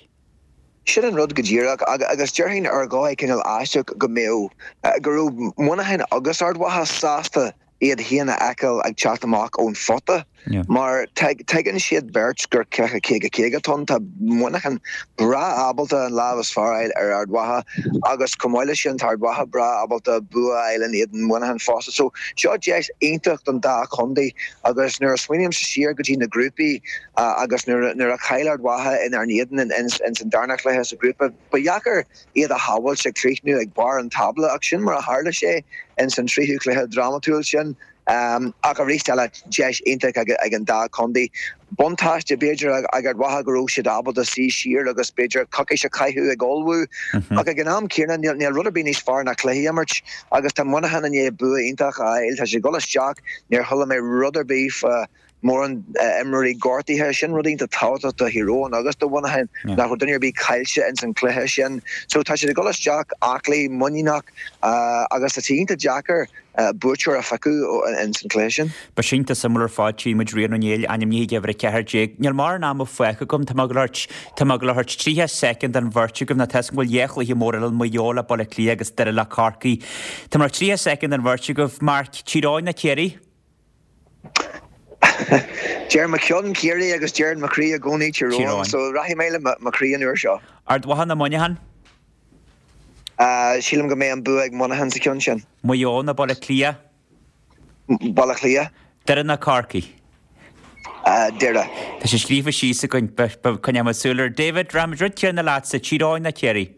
Sin an rud go díreach agus déarfainn ar dhóigh cineál aisteach go mbeadh, go raibh Muineachán agus Ard Mhacha sásta iad féin a fheiceáil ag teacht amach ón phota. Mar tuigeann siad beirt gur cluiche caoga caoga atá ann. Tá Muineachán breá ábalta an lámh is fearr a fháil ar Ard Mhacha agus chomh maith leis sin tá Ard Mhacha breá ábalta bua a fháil in éadan Mhuineacháin fosta. So seo deis iontach don dá chontae agus nuair a smaoinímse siar go dtí na grúpaí agus nuair a chaill Ard Mhacha inár n-éadan ins an darna cluiche sa ghrúpa, ba dheacair iad a shamhailt ag críochnú ag barr an tábla ach sin mar a tharla sé ins an tríú cluiche drámatúil sin. Ach arís eile, deis iontach ag an dá chontae. Buntáiste, b'fhéidir, ag Ard Mhacha go raibh siad ábalta suí siar agus b'fhéidir coicís a chaitheamh ag ullmhú. Ach ag an am céanna, níl rud ar bith níos fearr ná cluichí a imirt agus tá Muineachán i ndiaidh bua iontach a fháil. Tá siad ag dul isteach, níor chuala mé rud ar bith fá mórán imreoirí gortaithe. Sin rud iontach tábhachtach do Thír Eoghain agus do Mhuineachán, nach raibh duine ar bith caillte ins an chluiche sin. So tá siad ag dul isteach aclaí, muiníneach agus tá sé iontach deacair buaiteoir a phiocadh ins an chluiche sin. Beidh sé iontach suimiúil ar fad, tchífidh muid Rian Ó Néill ainmnithe ag uimhir a ceathair déag. Níl mórán ama fágtha agam, tá mé ag dul tá mé ag dul a thabhairt tríocha soicind don bheirt agaibh, nó tá a fhios agam go bhfuil dhá chluiche mór eile, Maigh Eo le Baile Átha Cliath agus Doire le Corcaigh. Tá mé ag tríocha soicind don bheirt agaibh. Mark, Tír Eoghain nó Ciarraí? Deir mo cheann Ciarraí agus deireann mo chroí i gcónaí Tír Eoghain, so rachaidh mé le mo chroí an uair seo. Ard Mhacha nó Muineachán? Sílim go mbeidh an bua ag Muineachán sa cheann sin. Maigh Eo nó Baile Átha Cliath? Baile Átha Cliath. Doire nó Corcaigh? Doire. Tá sé scríofa síos againn, coinneoidh muid súil air. David, rachaidh muid rud céanna leatsa, Tír Eoghain nó Ciarraí?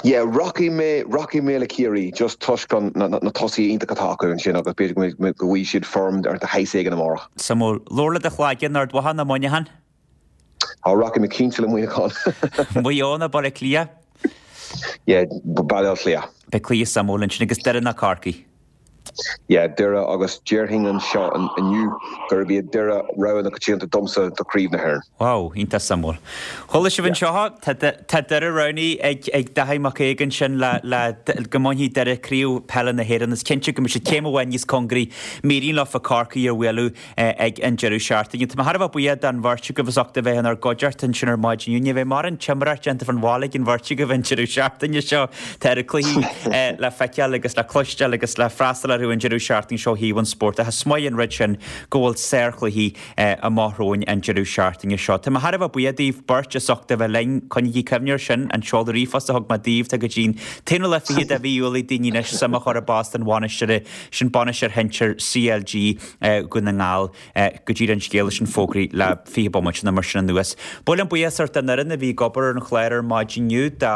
Yeah, rachaidh mé, rachaidh mé le Ciarraí just toisc an, na, na tosaithe iontach atá acu ansin agus b'fhéidir go mbeidh, go bhfaighidh siad form de shaghas éigin amárach. Suimiúil. Labhair le do chlaigeann, Ard Mhacha nó Muineachán? Á, rachaidh mé cinnte le Muineachán. Maigh Eo nó Baile Átha Cliath? Yeah, Baile Átha Cliath. Beidh cluiche suimiúil ansin agus Doire nó Corcaigh? Yeah, Doire agus déarfainn anseo inniu gurb iad Doire rogha na coitianta domsa do Chraobh na hÉireann. Wow, iontach suimiúil. Chuala sibh anseo, tá tá Doire roghnaithe ag ag Daithí Mac Aodha ansin le le go mbainfidh Doire Craobh Peile na hÉireann. Is cinnte go mbeidh siad céim amháin níos cóngaraí má éiríonn leofa Corcaigh a bhualadh ag an deireadh seachtaine. Tá mé thar a bheith buíoch don bheirt agaibh as ucht a bheith inár gcuideachta ansin ar maidin inniu. Ní bheidh mórán timireacht déanta fán bhaile ag an bheirt agaibh an deireadh seachtaine seo. Tá oiread cluichí le feiceáil agus le cloisteáil agus le freastal orthu an deireadh seachtaine seo ó thaobh an spóirt. Ach is maith an rud sin go bhfuil sárchluichí amach romhainn an deireadh seachtaine seo. Tá mé thar a bheith buíoch daoibh beirt as ucht a bheith linn. Coinnígí cuimhne air sin, an seoladh ríomhphost a thug mé daoibh, tá go dtí an t-aonú lá fichead de mhí Iúil ag daoine anois suim a chur i bpost an bhainisteora sin, bainisteoir shinsir CLG Dhún na nGall. Go díreach an scéal leis an fógraí le fiche bomaite nó mar sin anuas. Ba mhaith liom buíochas a thabhairt don fhoireann a bhí ag obair ar an chlár ar maidin inniu, do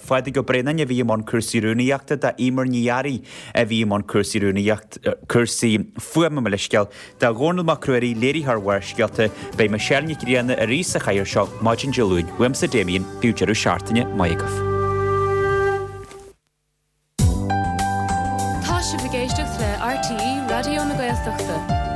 Phádraig Ó Braonáin a bhí i mbun cúrsaí rúnaíochta, do Emer Ní Fhearraigh a bhí i mbun cúrsaí rúnaíocht, cúrsaí fuaime mo leithscéal, do Dhónall Mac Ruairí, léiritheoir Bharrscéalta. Beidh Michelle Nic Grianna arís sa chathaoir seo maidin Dé Luain. Uaimse Damien, bíodh deireadh seachtaine maith agaibh. Tá sibh ag éisteacht le RTÉ Raidió na Gaeltachta.